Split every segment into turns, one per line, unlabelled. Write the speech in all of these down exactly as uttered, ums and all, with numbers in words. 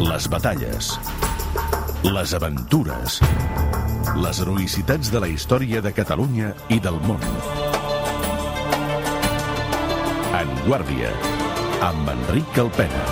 Les batalles, les aventures, les heroïcitats de la història de Catalunya i del món. En Guàrdia, amb Enric Calpena.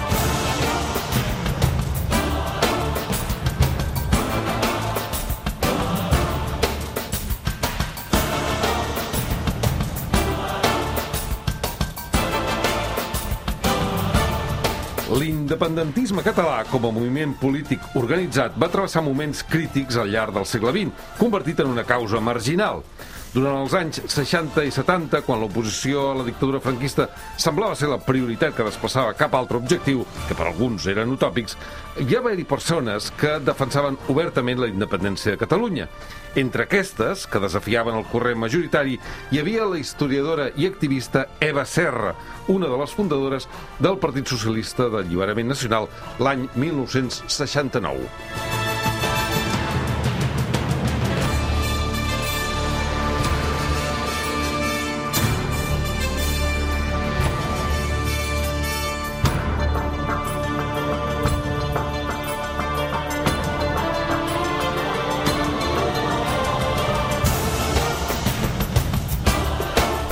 L'independentisme català, com a moviment polític organitzat, va travessar moments crítics al llarg del segle vint, convertit en una causa marginal. Durant els anys seixanta i setanta, quan l'oposició a la dictadura franquista semblava ser la prioritat que desplaçava cap altre objectiu, que per alguns eren utòpics, hi va haver-hi persones que defensaven obertament la independència de Catalunya. Entre aquestes, que desafiaven el corrent majoritari, hi havia la historiadora i activista Eva Serra, una de les fundadores del Partit Socialista d'Alliberament Nacional l'any mil nou-cents seixanta-nou.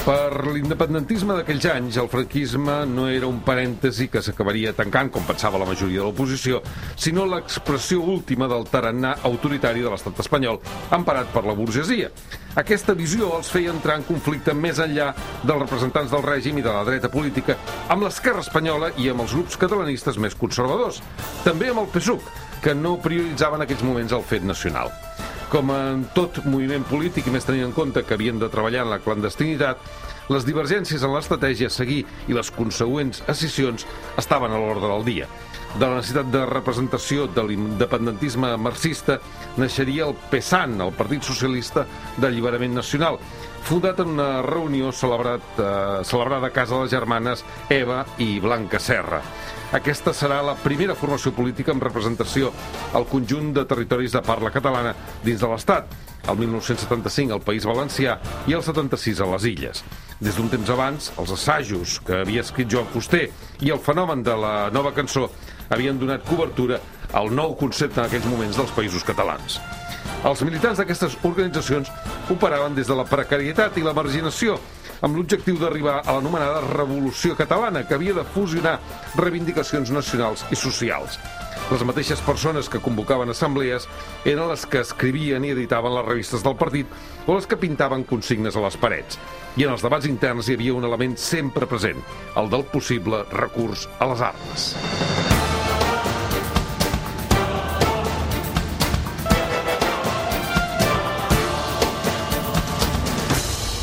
Per l'independentisme d'aquells anys, el franquisme no era un parèntesi que s'acabaria tancant, com pensava la majoria de l'oposició, sinó l'expressió última del tarannà autoritari de l'estat espanyol, emparat per la burgesia. Aquesta visió els feia entrar en conflicte més enllà dels representants del règim i de la dreta política, amb l'esquerra espanyola i amb els grups catalanistes més conservadors. També amb el P S U C, que no prioritzaven en aquells moments el fet nacional. Com en tot moviment polític, i més tenint en compte que havien de treballar en la clandestinitat, les divergències en l'estratègia a seguir i les consegüents escissions estaven a l'ordre del dia. De la necessitat de representació de l'independentisme marxista naixeria el PSAN, el Partit Socialista d'Alliberament Nacional, fundat en una reunió celebrat, eh, celebrada a casa de les germanes Eva i Blanca Serra. Aquesta serà la primera formació política amb representació al conjunt de territoris de parla catalana dins de l'Estat, el mil nou-cents setanta-cinc al País Valencià i el setanta-sis a les Illes. Des d'un temps abans, els assajos que havia escrit Joan Fuster i el fenomen de la nova cançó havien donat cobertura al nou concepte en aquells moments dels països catalans. Els militants d'aquestes organitzacions operaven des de la precarietat i la marginació, amb l'objectiu d'arribar a l'anomenada Revolució Catalana, que havia de fusionar reivindicacions nacionals i socials. Les mateixes persones que convocaven assemblees eren les que escrivien i editaven les revistes del partit o les que pintaven consignes a les parets. I en els debats interns hi havia un element sempre present, el del possible recurs a les armes.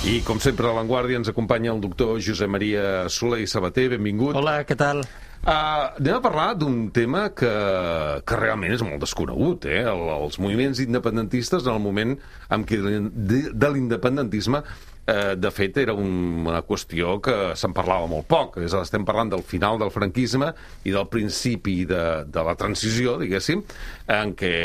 I, com sempre, a l'Avantguàrdia ens acompanya el doctor Josep Maria Soler i Sabater. Benvingut.
Hola, què tal?
Uh, anem a parlar d'un tema que, que realment és molt desconegut, eh? El, els moviments independentistes, en el moment en què de, de l'independentisme, eh, de fet, era un, una qüestió que se'n parlava molt poc. És, estem parlant del final del franquisme i del principi de, de la transició, diguéssim, en què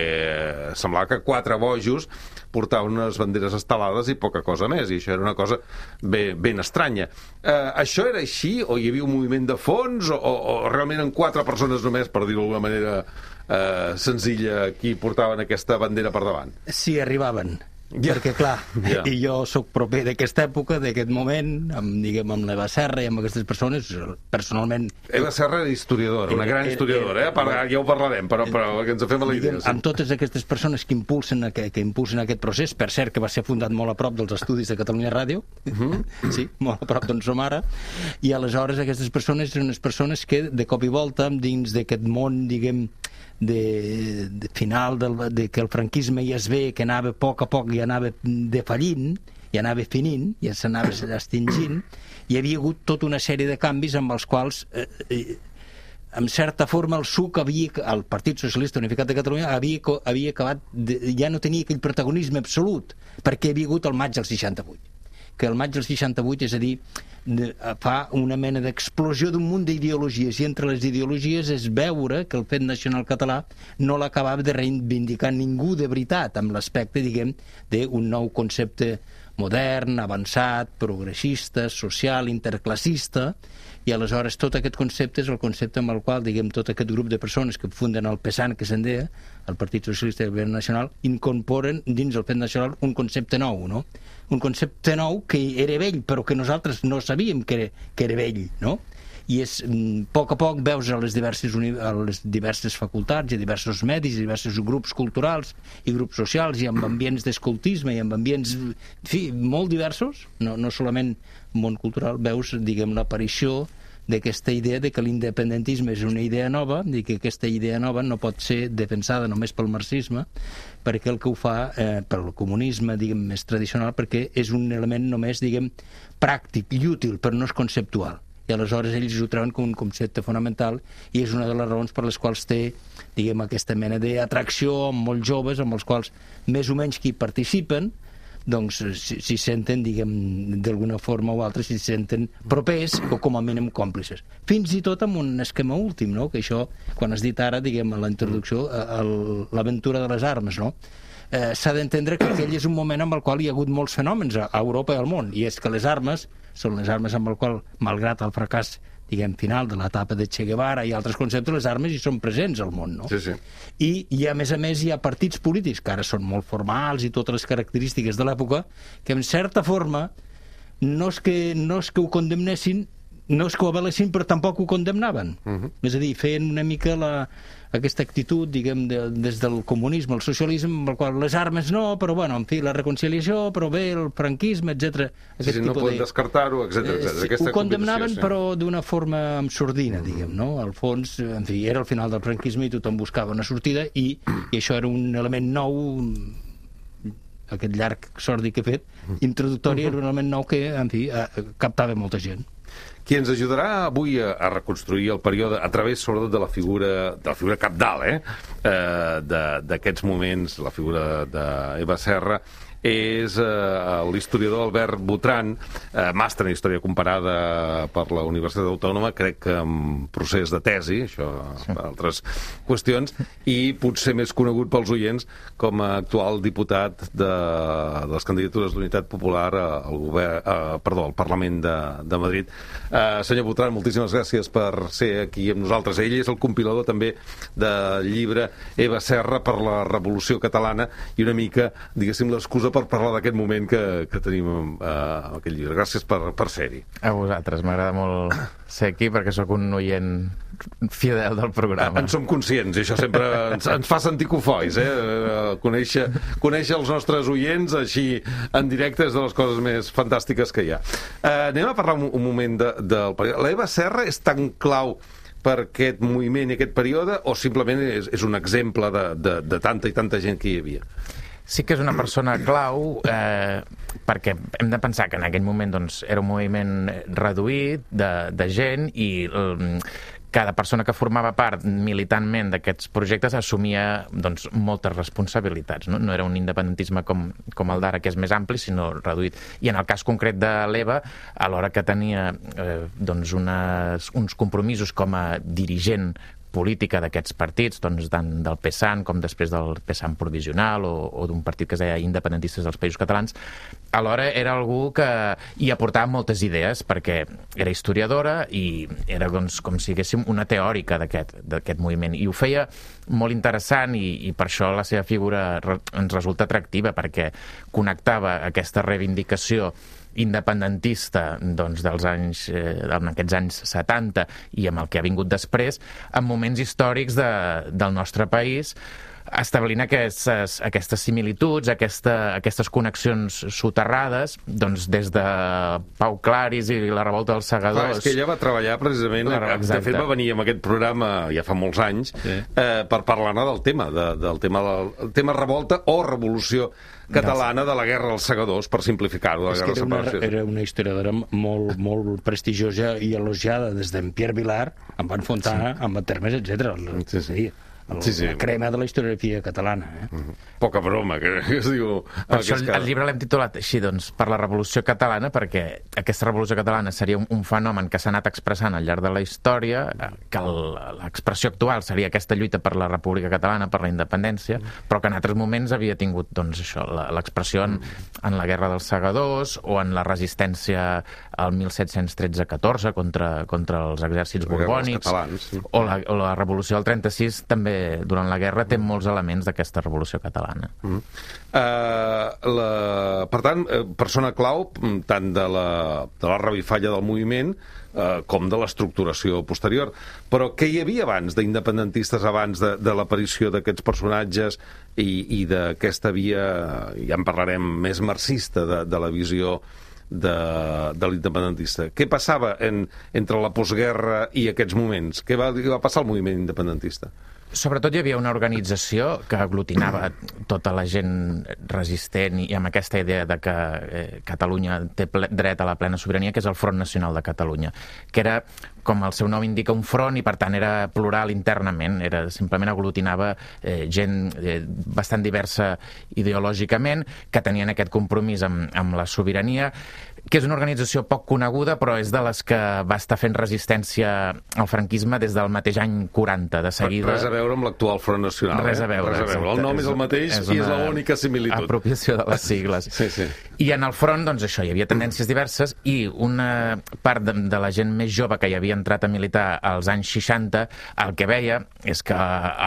semblava que quatre bojos portaven unes banderes estelades i poca cosa més, i això era una cosa ben, ben estranya. Eh, això era així, o hi havia un moviment de fons, o, o realment en quatre persones només, per dir-ho d'alguna manera eh, senzilla, qui portaven aquesta bandera per davant?
Sí, arribaven.
Yeah.
Perquè, clar,
yeah.
i jo sóc proper d'aquesta època, d'aquest moment, amb, diguem, amb l'Eva Serra i amb aquestes persones, personalment...
Eva Serra era historiadora, una gran historiadora, eh? Per, ja ho parlarem, però, però que ens fem a la idea.
Sí. Amb totes aquestes persones que impulsen, que, que impulsen aquest procés, per cert, que va ser fundat molt a prop dels estudis de Catalunya Ràdio, uh-huh. Sí, molt a prop d'on som ara, i aleshores aquestes persones eren unes persones que, de cop i volta, dins d'aquest món, diguem, de, de final del, de que el franquisme ja es ve, que anava a poc a poc i anava defallint, i anava finint, i s'anava extingint, hi havia hagut tota una sèrie de canvis amb els quals eh, eh, en certa forma el S U C havia, el Partit Socialista Unificat de Catalunya havia, havia acabat de, ja no tenia aquell protagonisme absolut, perquè hi havia hagut el maig del seixanta-vuit, que el maig del seixanta-vuit, és a dir, fa una mena d'explosió d'un munt d'ideologies, i entre les ideologies és veure que el fet nacional català no l'acabava de reivindicar ningú de veritat, amb l'aspecte, diguem, d'un nou concepte modern, avançat, progressista, social, interclassista, i aleshores tot aquest concepte és el concepte amb el qual, diguem, tot aquest grup de persones que funden el PSAN, que se'n deia, el Partit Socialista i el Govern Nacional, incorporen dins el fet nacional un concepte nou, no? Un concepte nou que era vell, però que nosaltres no sabíem que era, que era vell, no? I és, a poc a poc veus a les diverses, a les diverses facultats i a diversos medis, i diversos grups culturals i grups socials, i amb ambients d'escoltisme i amb ambients, en fi, molt diversos, no, no solament món cultural, veus, diguem, l'aparició d'aquesta idea de que l'independentisme és una idea nova, i que aquesta idea nova no pot ser defensada només pel marxisme, perquè el que ho fa, eh, pel comunisme, diguem, més tradicional, perquè és un element només, diguem, pràctic i útil, però no és conceptual. I aleshores ells ho treuen com un concepte fonamental, i és una de les raons per les quals té, diguem, aquesta mena d'atracció amb molts joves, amb els quals més o menys qui participen, doncs si, si senten, diguem, d'alguna forma o altra, si senten propers o com a mínim còmplices. Fins i tot amb un esquema últim, no? Que això, quan has dit ara, diguem, a la introducció, l'aventura de les armes, no? Eh, s'ha d'entendre que aquell és un moment en el qual hi ha hagut molts fenòmens a Europa i al món, i és que les armes són les armes amb el qual, malgrat el fracàs, diguem, final de l'etapa de Che Guevara i altres conceptes, les armes hi són presents al món, no?
Sí, sí.
I, i a més a més hi ha partits polítics que ara són molt formals i totes les característiques de l'època, que en certa forma no és que, no és que ho condemnessin, no és que ho avalessin, però tampoc ho condemnaven. Uh-huh. És a dir, feien una mica la, aquesta actitud, diguem, de, des del comunisme al socialisme, amb el qual les armes no, però bueno, en fi, la reconciliació, però bé, el franquisme, etcètera.
Sí, sí, no poden de... descartar-ho, etcètera, etcètera.
Eh, sí, ho condemnaven, sí, però d'una forma amb sordina, diguem, no? Al fons, en fi, era el final del franquisme i tothom buscava una sortida, i, i això era un element nou, aquest llarg sordi que he fet, introductori, era un element nou que, en fi, captava molta gent.
Qui ens ajudarà avui a, a reconstruir el període a través, sobretot, de la figura de la figura cabdal, eh? eh d'aquests moments, la figura d'Eva Serra, és eh, l'historiador Albert Botran, eh, màster en Història Comparada per la Universitat Autònoma, crec que en procés de tesi, això sí, per altres qüestions, i potser més conegut pels oients com a actual diputat de, de les candidatures d'Unitat Popular al, govern, eh, perdó, al Parlament de, de Madrid. Eh, senyor Botran, moltíssimes gràcies per ser aquí amb nosaltres. Ell és el compilador també del llibre Eva Serra per la Revolució Catalana i una mica, diguéssim, l'excusa per parlar d'aquest moment que, que tenim eh, amb aquest llibre. Gràcies per, per ser-hi.
A vosaltres, m'agrada molt ser aquí perquè sóc un oient fidel del programa.
En som conscients, i això sempre ens, ens fa sentir cofois, eh? Conèixer, conèixer els nostres oients així en directe és de les coses més fantàstiques que hi ha. Eh, anem a parlar un, un moment de, del període. L'Eva Serra és tan clau per aquest moviment i aquest període o simplement és, és un exemple de, de, de tanta i tanta gent que hi havia?
Sí que és una persona clau eh, perquè hem de pensar que en aquell moment doncs, era un moviment reduït de, de gent i eh, cada persona que formava part militantment d'aquests projectes assumia doncs, moltes responsabilitats. No? No era un independentisme com, com el d'ara, que és més ampli, sinó reduït. I en el cas concret de l'Eva, alhora que tenia eh, doncs unes, uns compromisos com a dirigent política d'aquests partits, doncs, tant del PSAN com després del PSAN provisional o, o d'un partit que es deia Independentistes dels Països Catalans, alhora era algú que hi aportava moltes idees perquè era historiadora i era doncs, com si diguéssim una teòrica d'aquest d'aquest moviment i ho feia molt interessant i, i per això la seva figura re, ens resulta atractiva perquè connectava aquesta reivindicació independentista doncs, dels anys, eh, en aquests anys setanta i amb el que ha vingut després, en moments històrics de, del nostre país, establint aquestes, aquestes similituds, aquesta, aquestes connexions soterrades, doncs des de Pau Claris i la revolta dels segadors.
Clar, és que ella va treballar precisament, Clar, de fet va venir amb aquest programa ja fa molts anys, sí, eh, per parlar-ne del tema, de, del tema, del tema revolta o revolució catalana de la guerra dels segadors, per simplificar-ho, de la guerra de separació.
Era una historiadora molt, molt prestigiosa i elogiada des d'en Pierre Vilar, amb en Fontana, sí, amb en Termes, etcètera.
Sí, sí.
el,
sí, sí.
la crema de la historiografia catalana. Eh?
Mm-hmm. Poca broma, que, que es diu...
Per això el, el llibre l'hem titulat així, doncs, per la Revolució Catalana, perquè aquesta Revolució Catalana seria un, un fenomen que s'ha anat expressant al llarg de la història, que l'expressió actual seria aquesta lluita per la República Catalana, per la independència, però que en altres moments havia tingut, doncs, això, l'expressió en, en la Guerra dels Segadors o en la resistència al mil set-cents tretze catorze contra, contra els exèrcits borbònics,
catalans, sí.
o, la, o la Revolució del trenta-sis també, durant la guerra, té molts elements d'aquesta Revolució Catalana.
Mm. Uh, la, per tant, persona clau tant de la, de la revifalla del moviment uh, com de l'estructuració posterior. Però què hi havia abans d'independentistes, abans de, de l'aparició d'aquests personatges i, i d'aquesta via, ja en parlarem, més marxista de, de la visió de, de l'independentista? Què passava en, entre la postguerra i aquests moments? Què va, què va passar al moviment independentista?
Sobretot hi havia una organització que aglutinava tota la gent resistent i amb aquesta idea de que eh, Catalunya té ple, dret a la plena sobirania, que és el Front Nacional de Catalunya, que era, com el seu nom indica, un front i per tant era plural internament, era, simplement aglutinava eh, gent eh, bastant diversa ideològicament, que tenien aquest compromís amb, amb la sobirania, que és una organització poc coneguda, però és de les que va estar fent resistència al franquisme des del mateix any quaranta, de seguida.
Res a veure amb l'actual Front Nacional.
Res a veure.
Eh? Res a veure. El nom és, és el mateix és i és l'única similitud.
Apropiació de les sigles.
Sí, sí.
I en el front, doncs això, hi havia tendències diverses i una part de, de la gent més jove que hi havia entrat a militar als anys seixanta, el que veia és que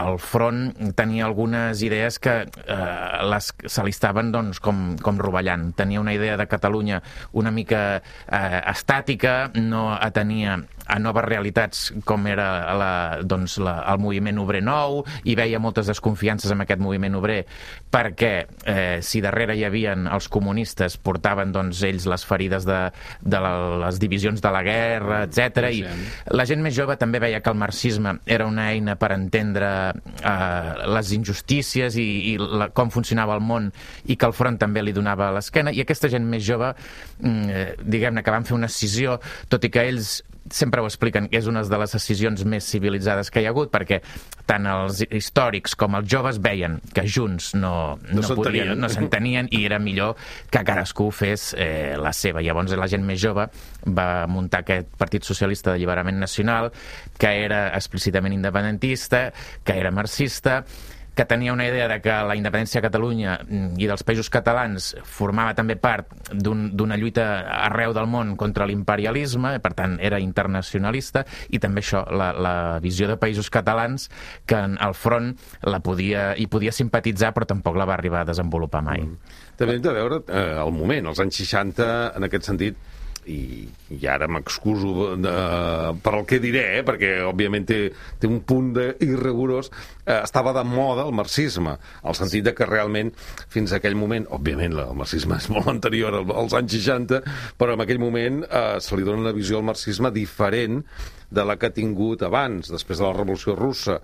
el front tenia algunes idees que eh, les, se li estaven doncs, com, com rovellant. Tenia una idea de Catalunya una mica eh, estàtica, no atenia a noves realitats com era la, doncs, la, el moviment obrer nou, i veia moltes desconfiances amb aquest moviment obrer perquè eh, si darrere hi havien els comunistes, portaven doncs, ells les ferides de, de la, les divisions de la guerra, etcètera. I la gent més jove també veia que el marxisme era una eina per entendre eh, les injustícies i, i la, com funcionava el món, i que el front també li donava a l'esquena, i aquesta gent més jove eh, diguem-ne que van fer una escissió, tot i que ells sempre ho expliquen, que és una de les decisions més civilitzades que hi ha hagut, perquè tant els històrics com els joves veien que junts no, no, no podrien, no s'entenien, i era millor que cadascú fes eh, la seva. Llavors la gent més jove va muntar aquest Partit Socialista d'Alliberament Nacional, que era explícitament independentista, que era marxista, que tenia una idea de que la independència de Catalunya i dels països catalans formava també part d'una lluita arreu del món contra l'imperialisme, per tant era internacionalista, i també això, la, la visió de països catalans, que en el front la podia, hi podia simpatitzar, però tampoc la va arribar a desenvolupar mai.
Mm. També hem de veure eh, el moment, els anys seixanta, en aquest sentit, i, i ara m'excuso per el que diré, eh, perquè òbviament té, té un punt d'irrigorós, eh, estava de moda el marxisme, al sentit de que realment fins a aquell moment, òbviament el marxisme és molt anterior als anys seixanta, però en aquell moment eh, se li dona una visió al marxisme diferent de la que ha tingut abans, després de la Revolució Russa,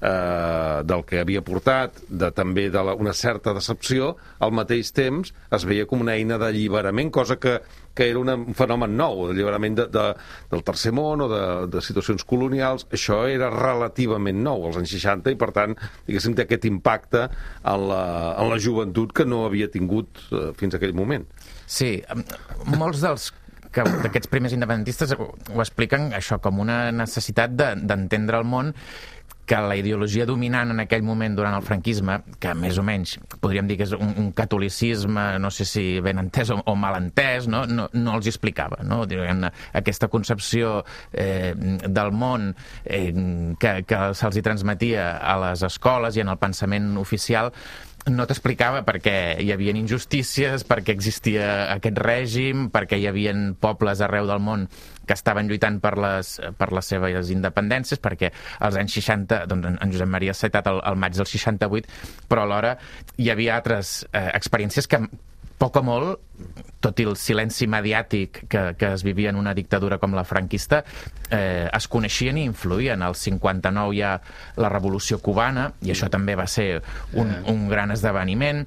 eh, del que havia portat, de, també de la, una certa decepció. Al mateix temps es veia com una eina d'alliberament, cosa que, que era una, un fenomen nou, d'alliberament de, de, del tercer món o de, de situacions colonials. Això era relativament nou als anys seixanta i, per tant, diguéssim, té aquest impacte en la, en la joventut que no havia tingut eh, fins a aquell moment.
Sí, molts dels que d'aquests primers independentistes ho expliquen això com una necessitat d'entendre el món, que la ideologia dominant en aquell moment durant el franquisme, que més o menys podríem dir que és un, un catolicisme, no sé si ben entès o, o mal entès, no, no, no els explicava, no? Aquesta concepció eh, del món eh, que, que se'ls hi transmetia a les escoles i en el pensament oficial no t'explicava perquè hi havia injustícies, perquè existia aquest règim, perquè hi havia pobles arreu del món que estaven lluitant per les, per les seves independències, perquè als anys seixanta, doncs en Josep Maria s'ha citat el, el maig del seixanta-vuit, però alhora hi havia altres eh, experiències que poc o molt, tot i el silenci mediàtic que, que es vivia en una dictadura com la franquista, eh, es coneixien i influïen. Al cinquanta-nou hi ha la Revolució Cubana, i això també va ser un, un gran esdeveniment.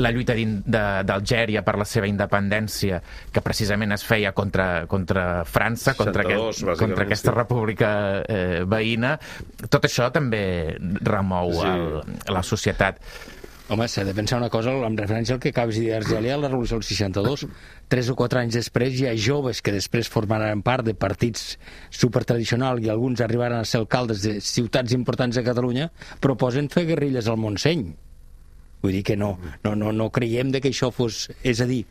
La lluita d'Algèria per la seva independència, que precisament es feia contra, contra França, contra,
seixanta-dos,
aquest, contra aquesta
sí.
república eh, veïna. Tot això també remou
Sí.
el, la societat.
Home, s'ha de pensar una cosa, amb referència al que acabes de dir d'Argèlia, la Revolució del seixanta-dos. Tres o quatre anys després hi ha joves que després formaran part de partits supertradicionals i alguns arribaran a ser alcaldes de ciutats importants de Catalunya, proposen fer guerrilles al Montseny. Vull dir que no, no, no, no creiem de que això fos... És a dir,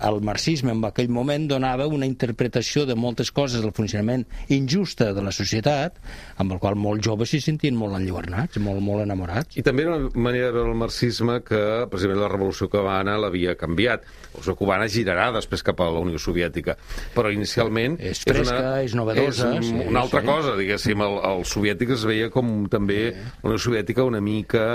el marxisme en aquell moment donava una interpretació de moltes coses del funcionament injusta de la societat, amb el qual molts joves s'hi sentien molt enlluernats, molt, molt enamorats.
I també era una manera de veure el marxisme que, precisament, la Revolució Cubana l'havia canviat. La Revolució Cubana girarà després cap a la Unió Soviètica, però inicialment...
És fresca, és, una, és novedosa...
És
sí,
una altra
sí.
cosa, diguéssim. El, el soviètic es veia com també sí. la Unió Soviètica una mica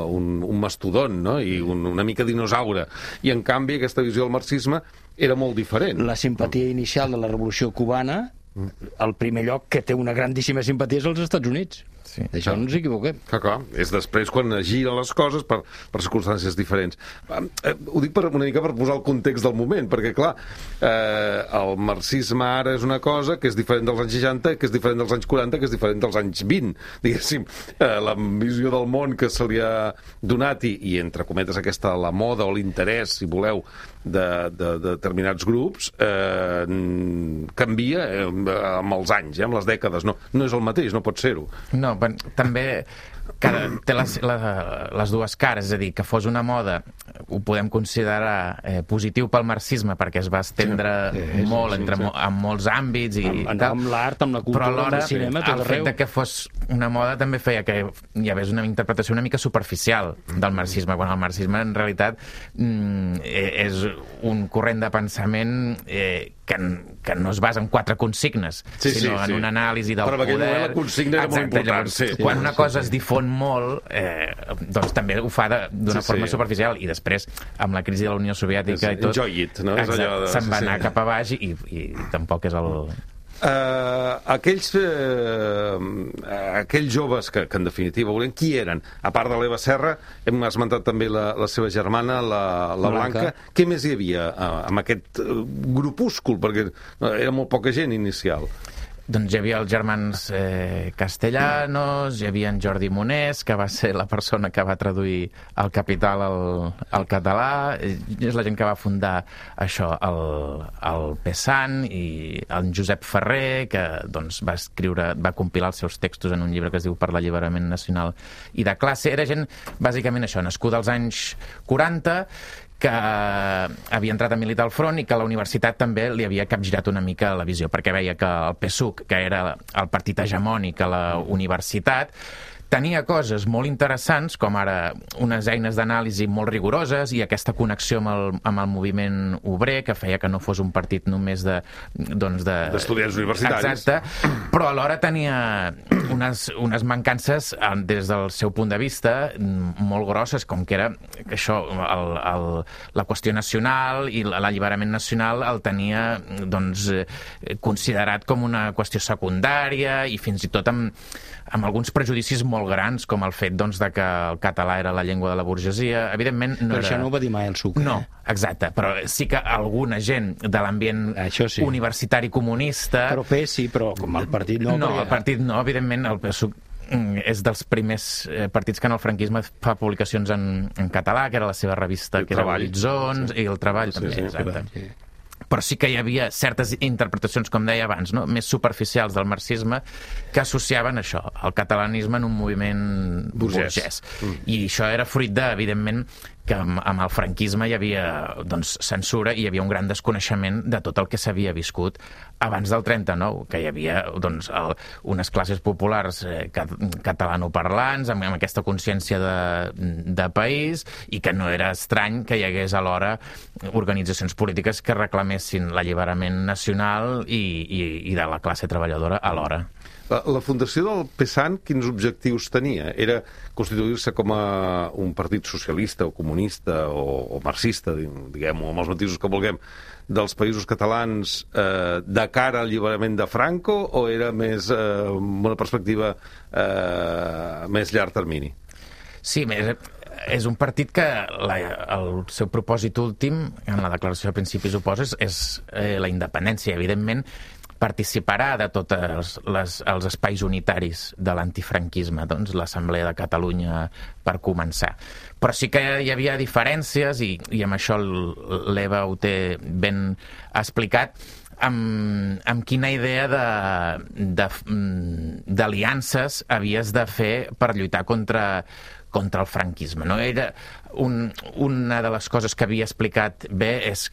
un, un mastodont, no? I un, una mica dinosaure. I, en canvi, aquesta visió del marxisme era molt diferent.
La simpatia inicial de la Revolució Cubana, el primer lloc que té una grandíssima simpatia és als Estats Units. Sí. D'això no ens equivoquem.
Clar, clar. És després quan giren les coses per, per circumstàncies diferents. Eh, ho dic per, una mica per posar el context del moment, perquè, clar, eh, el marxisme ara és una cosa que és diferent dels anys seixanta, que és diferent dels anys quaranta, que és diferent dels anys vint. Diguéssim, eh, la visió del món que se li ha donat i, i entre cometes, aquesta, la moda o l'interès, si voleu, de, de, de determinats grups, eh, canvia eh, amb els anys, eh, amb les dècades. No, no és el mateix, no pot ser-ho.
No, també cada, té les, les, les dues cares, és a dir, que fos una moda ho podem considerar eh, positiu pel marxisme perquè es va estendre sí, sí, molt sí, entre, sí. en molts àmbits i
amb,
tal,
amb l'art, amb la cultura,
però alhora
amb el cinema, tot
el
arreu.
fet de que fos una moda també feia que hi hagués una interpretació una mica superficial del marxisme, quan el marxisme en realitat mm, és un corrent de pensament eh, que, que no es basa en quatre consignes,
sí,
sinó
sí,
en
sí.
una anàlisi del
però
poder.
Però la consigna era
Exacte,
molt important.
Llavors,
Sí,
quan
sí,
una
sí,
cosa
sí.
es difon molt, eh, doncs també ho fa d'una
Sí,
forma
sí.
superficial, i després, amb la crisi de la Unió Soviètica
És,
i tot,
enjoy it, no? És
exacte,
allò de-
se'n va
sí,
anar
sí.
cap a baix i, i tampoc és el...
Uh, aquells uh, aquells joves que, que en definitiva volien, qui eren? A part de l'Eva Serra, hem esmentat també la, la seva germana, la, la Blanca.
Blanca.
Què més hi havia uh, amb aquest uh, grupúscul? Perquè uh, era molt poca gent inicial.
Doncs hi havia els germans eh, Castellanos, hi havia en Jordi Monés, que va ser la persona que va traduir El Capital al, al català, és la gent que va fundar això, el, el Pesant, i en Josep Ferrer, que doncs, va escriure, va compilar els seus textos en un llibre que es diu Per l'alliberament nacional i de classe. Era gent, bàsicament això, nascuda als anys quaranta, que havia entrat a militar al front i que la universitat també li havia capgirat una mica la visió, perquè veia que el P SUC, que era el partit hegemònic a la universitat, tenia coses molt interessants, com ara unes eines d'anàlisi molt rigoroses i aquesta connexió amb el, amb el moviment obrer, que feia que no fos un partit només de... Doncs de
d'estudiants universitaris.
Exacte, però alhora tenia unes, unes mancances des del seu punt de vista molt grosses, com que era això, el, el, la qüestió nacional i l'alliberament nacional el tenia doncs, considerat com una qüestió secundària i fins i tot amb, amb alguns prejudicis molt grans, com el fet doncs, de que el català era la llengua de la burgesia. Evidentment no
Però
era...
això no ho va dir mai el Sucre.
No,
eh?
exacte, però sí que alguna gent de l'ambient
Això sí.
universitari comunista...
Però P sí, però com el partit no...
No,
perquè-
el partit no, evidentment, el P SUC mm, és dels primers eh, partits que en el franquisme fa publicacions en, en català, que era la seva revista,
El
que era
Treball.
Horitzons, i el Treball
Sí,
també,
sí,
exacte.
Sí.
Però sí que hi havia certes interpretacions, com deia abans, no? més superficials del marxisme, que associaven això, el catalanisme en un moviment
Burgès.
burgès. Mm. I això era fruit de, evidentment, que amb, amb el franquisme hi havia doncs, censura i hi havia un gran desconeixement de tot el que s'havia viscut abans del trenta-nou, que hi havia doncs, el, unes classes populars eh, cat, catalanoparlants, amb, amb aquesta consciència de, de país, i que no era estrany que hi hagués alhora organitzacions polítiques que reclamessin l'alliberament nacional i, i, i de la classe treballadora alhora.
La, la fundació del P SAN, quins objectius tenia? Era constituir-se com a un partit socialista o comunista o, o marxista, diguem-ho, amb els matisos que vulguem, dels països catalans eh, de cara al alliberament de Franco, o era més eh, una perspectiva eh, més llarg termini?
Sí, més... És un partit que la, el seu propòsit últim, en la declaració de principis oposes, és eh, la independència. Evidentment, participarà de tots els, les, els espais unitaris de l'antifranquisme, doncs l'Assemblea de Catalunya per començar. Però sí que hi havia diferències, i, i amb això l'Eva ho té ben explicat, amb, amb quina idea d'aliances havies de fer per lluitar contra contra el franquisme. No? Era un, una de les coses que havia explicat bé és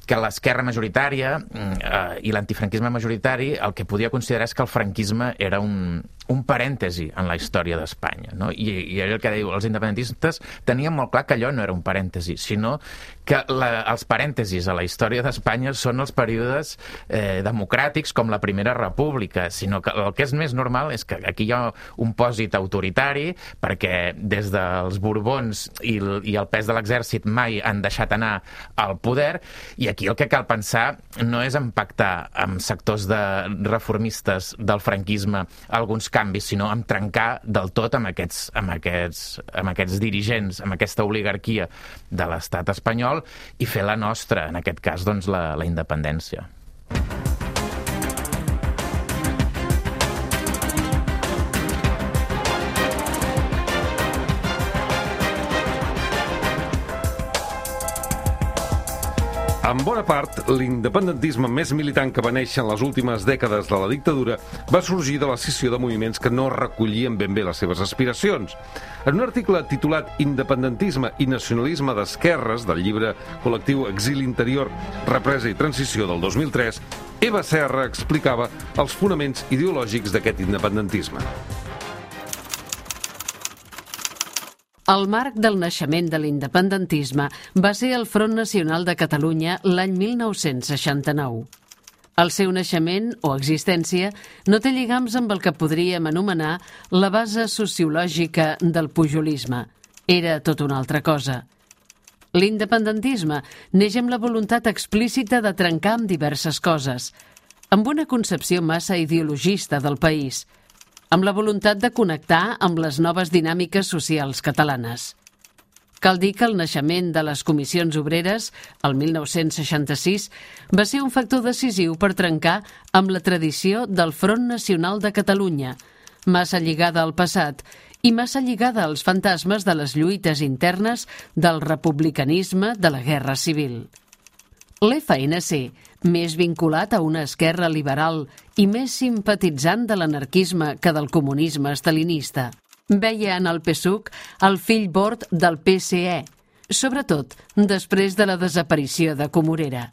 que l'esquerra majoritària eh, i l'antifranquisme majoritari el que podia considerar és que el franquisme era un, un parèntesi en la història d'Espanya. No? I, I el que diu, els independentistes tenien molt clar que allò no era un parèntesi, sinó que la, els parèntesis a la història d'Espanya són els períodes eh, democràtics com la Primera República, sinó que el que és més normal és que aquí hi ha un pòsit autoritari perquè des dels Borbons i el, i el pes de l'exèrcit mai han deixat anar al poder, i aquí el que cal pensar no és en pactar amb sectors de reformistes del franquisme alguns canvis, sinó en trencar del tot amb aquests, amb aquests, amb aquests dirigents, amb aquesta oligarquia de l'estat espanyol, i fer la nostra, en aquest cas, doncs, la, la independència.
En bona part, l'independentisme més militant que va néixer en les últimes dècades de la dictadura va sorgir de la scissió de moviments que no recollien ben bé les seves aspiracions. En un article titulat Independentisme i nacionalisme d'esquerres, del llibre col·lectiu Exili Interior, Represa i Transició del dos mil tres, Eva Serra explicava els fonaments ideològics d'aquest independentisme.
El marc del naixement de l'independentisme va ser el Front Nacional de Catalunya l'any mil nou-cents seixanta-nou. El seu naixement o existència no té lligams amb el que podríem anomenar la base sociològica del pujolisme. Era tot una altra cosa. L'independentisme neix amb la voluntat explícita de trencar amb diverses coses, amb una concepció massa ideologista del país, amb la voluntat de connectar amb les noves dinàmiques socials catalanes. Cal dir que el naixement de les comissions obreres, el mil nou-cents seixanta-sis, va ser un factor decisiu per trencar amb la tradició del Front Nacional de Catalunya, massa lligada al passat i massa lligada als fantasmes de les lluites internes del republicanisme de la Guerra Civil. L'F N C, més vinculat a una esquerra liberal i més simpatitzant de l'anarquisme que del comunisme estalinista, veia en el P S U C el fill bord del P S E, sobretot després de la desaparició de Comorera.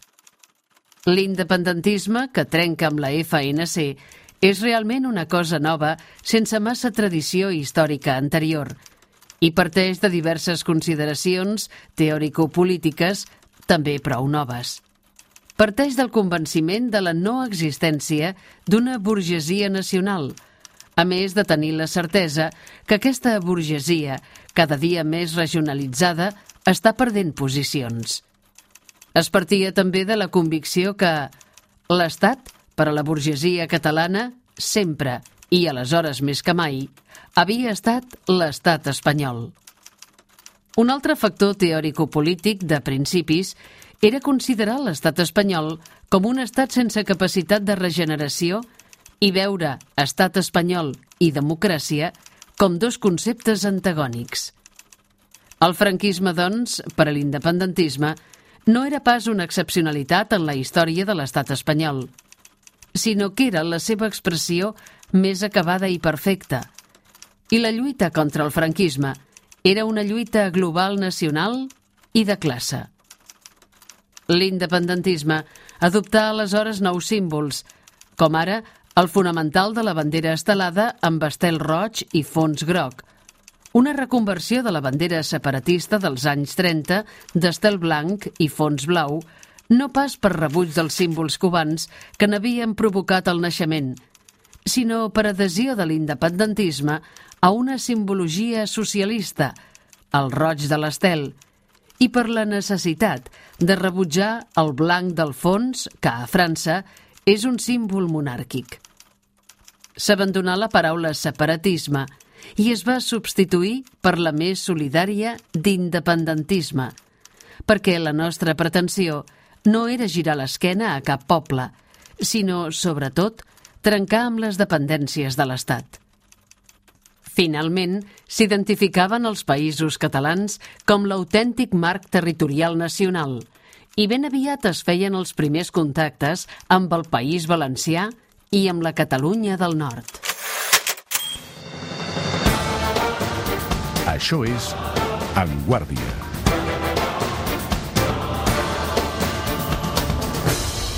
L'independentisme, que trenca amb la F N C, és realment una cosa nova sense massa tradició històrica anterior i parteix de diverses consideracions teòrico-polítiques també prou noves. Parteix del convenciment de la no existència d'una burgesia nacional, a més de tenir la certesa que aquesta burgesia, cada dia més regionalitzada, està perdent posicions. Es partia també de la convicció que l'Estat, per a la burgesia catalana, sempre, i aleshores més que mai, havia estat l'estat espanyol. Un altre factor teòrico-polític de principis era considerar l'estat espanyol com un estat sense capacitat de regeneració i veure estat espanyol i democràcia com dos conceptes antagònics. El franquisme, doncs, per a l'independentisme, no era pas una excepcionalitat en la història de l'estat espanyol, sinó que era la seva expressió més acabada i perfecta. I la lluita contra el franquisme era una lluita global nacional i de classe. L'independentisme adoptà aleshores nous símbols, com ara el fonamental de la bandera estelada amb estel roig i fons groc, una reconversió de la bandera separatista dels anys trenta d'estel blanc i fons blau, no pas per rebuig dels símbols cubans que n'havien provocat el naixement, sinó per adhesió de l'independentisme a una simbologia socialista, el roig de l'estel, i per la necessitat de rebutjar el blanc del fons, que a França és un símbol monàrquic. S'abandonà la paraula separatisme i es va substituir per la més solidària d'independentisme, perquè la nostra pretensió no era girar l'esquena a cap poble, sinó, sobretot, trencar amb les dependències de l'Estat. Finalment, s'identificaven els països catalans com l'autèntic marc territorial nacional i ben aviat es feien els primers contactes amb el País Valencià i amb la Catalunya del Nord.
Això és En Guàrdia.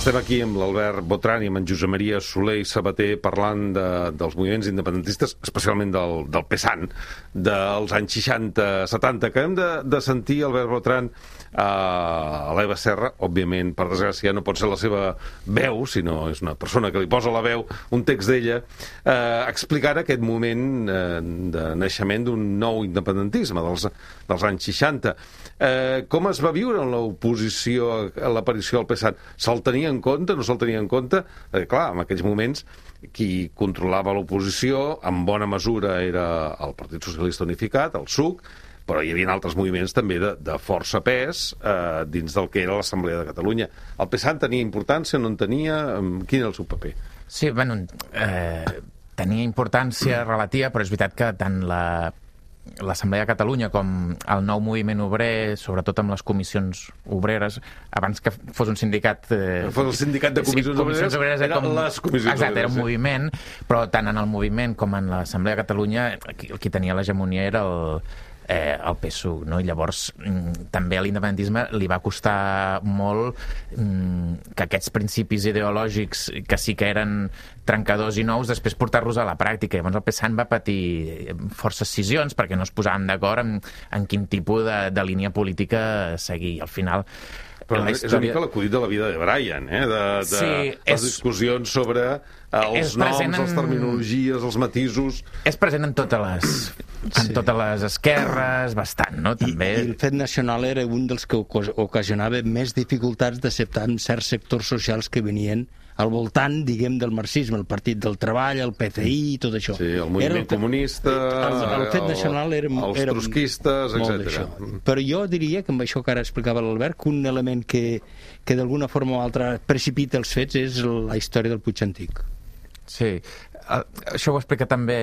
Estem aquí amb l'Albert Botran i amb en Josep Maria Soler i Sabater parlant de, dels moviments independentistes, especialment del, del PESAN, dels anys seixanta setanta. Acabem de, de sentir Albert Botran a l'Eva Serra, òbviament, per desgràcia, no pot ser la seva veu, sinó és una persona que li posa la veu, un text d'ella, eh, explicant aquest moment eh, de naixement d'un nou independentisme dels, dels anys seixanta. Eh, com es va viure en l'oposició a l'aparició del PESAN? Se'l tenia en compte, no se'l tenia en compte? Eh, clar, en aquells moments qui controlava l'oposició en bona mesura era el Partit Socialista Unificat, el S U C, però hi havia altres moviments també de, de força pes eh, dins del que era l'Assemblea de Catalunya. El PESAN tenia importància, no en tenia? Quin era el seu paper?
Sí, bueno, eh, tenia importància relativa, però és veritat que tant la l'Assemblea de Catalunya com el nou moviment obrer, sobretot amb les comissions obreres, abans que fos un sindicat... Eh,
fos el sindicat de comissions, sí,
comissions obreres, obreres
eren
com,
les comissions
exacte,
obreres.
Era un moviment, però tant en el moviment com en l'Assemblea de Catalunya qui, qui tenia l'hegemonia era el, eh, el P S U, no? I llavors mm, també a l'independentisme li va costar molt mm, que aquests principis ideològics que sí que eren trencadors i nous, després portar-los a la pràctica. Llavors el PESAN va patir forces scissions perquè no es posaven d'acord en, en quin tipus de, de línia política seguir. Al final...
Però la història... és una mica l'acudit de la vida de Brian, eh? De, de
sí,
les
és...
discussions sobre els noms, en... les terminologies, els matisos... És
present en totes les, en sí. totes les esquerres, bastant, no? També...
I, I el fet nacional era un dels que ocasionava més dificultats d'acceptar en certs sectors socials que venien al voltant, diguem, del marxisme, el Partit del Treball, el P C I i tot això.
Sí, el moviment el, comunista,
el, el fet nacional era,
els
era
trotskistes, etcètera.
Però jo diria, que amb això que ara explicava l'Albert, que un element que, que d'alguna forma o altra precipita els fets és la història del Puig Antic.
Sí, això ho explica també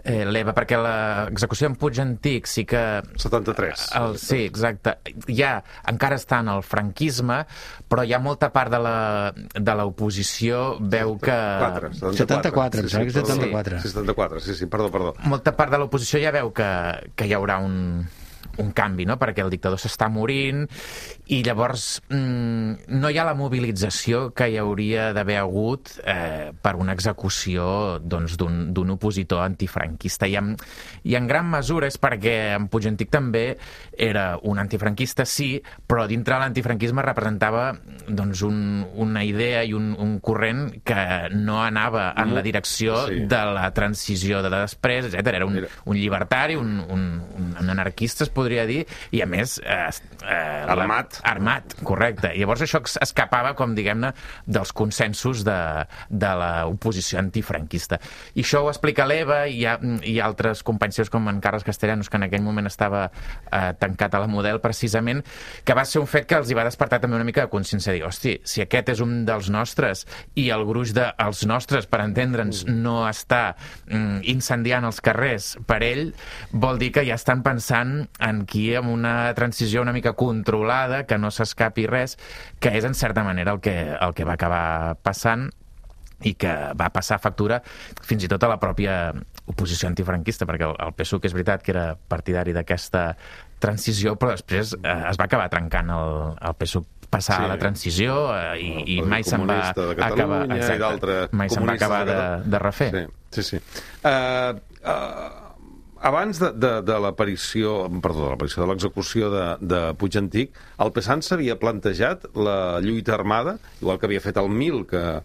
eh, l'Eva, perquè l'execució en Puig Antic sí que...
setanta-tres.
El, sí, exacte. Ja encara està en el franquisme, però hi ha molta part de l'oposició veu que...
setanta-quatre,
setanta-quatre, em sembla que és setanta-quatre.
Sí, setanta-quatre, sí, sí, perdó, perdó.
Molta part de l'oposició ja veu que, que hi haurà un... un canvi, no? Perquè el dictador s'està morint i llavors mmm, no hi ha la mobilització que hi hauria d'haver hagut eh, per una execució doncs, d'un opositor antifranquista. I en, I en gran mesura és perquè en Puig Antic també era un antifranquista, sí, però dintre de l'antifranquisme representava doncs, un, una idea i un, un corrent que no anava en la direcció sí. de la transició de després, etcètera. Era un, un llibertari, un, un, un anarquista, es podria dir, i a més eh, eh,
armat.
La, armat, correcte. I llavors això escapava, com diguem-ne, dels consensos de, de l'oposició antifranquista. I això ho explica l'Eva i hi ha, hi ha altres companys seus com en Carles Castellanos, que en aquell moment estava eh, tancat a la Model, precisament, que va ser un fet que els hi va despertar també una mica de consciència, de dir, hosti, si aquest és un dels nostres i el gruix dels nostres, per entendre'ns, no està mm, incendiant els carrers per ell, vol dir que ja estan pensant en qui amb una transició una mica controlada, que no s'escapi res, que és en certa manera el que, el que va acabar passant i que va passar factura fins i tot a la pròpia oposició antifranquista, perquè el, el P S U, que és veritat que era partidari d'aquesta transició, però després eh, es va acabar trencant el, el P S U passar sí. a la transició eh, i, i mai se'n va acabar, exacte, mai se'n va acabar de, de refer.
Sí, sí. sí. Uh, uh, abans de, de, de l'aparició, perdó, de l'aparició de l'execució de, de Puig Antic, el PESAN s'havia plantejat la lluita armada, igual que havia fet el Mil, que...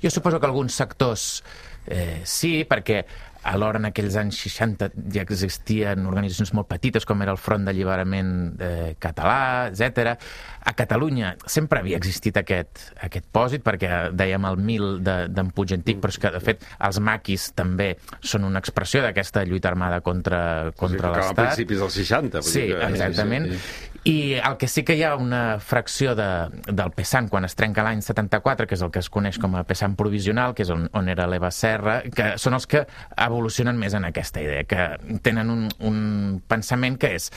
Jo suposo que alguns sectors eh, sí, perquè alhora en aquells anys seixanta ja existien organitzacions molt petites com era el Front d'Alliberament eh, Català, etcètera. A Catalunya sempre havia existit aquest, aquest pòsit, perquè dèiem el mil d'en Puig Antic, però és que, de fet, els maquis també són una expressió d'aquesta lluita armada contra, contra
o sigui,
l'Estat.
A principis dels seixanta.
Sí,
que...
exactament.
Sí, sí.
I el que sí que hi ha una fracció de, del Pesant quan es trenca l'any setanta-quatre, que és el que es coneix com a Pesant provisional, que és on, on era l'Eva Serra, que són els que evolucionen més en aquesta idea, que tenen un, un pensament que és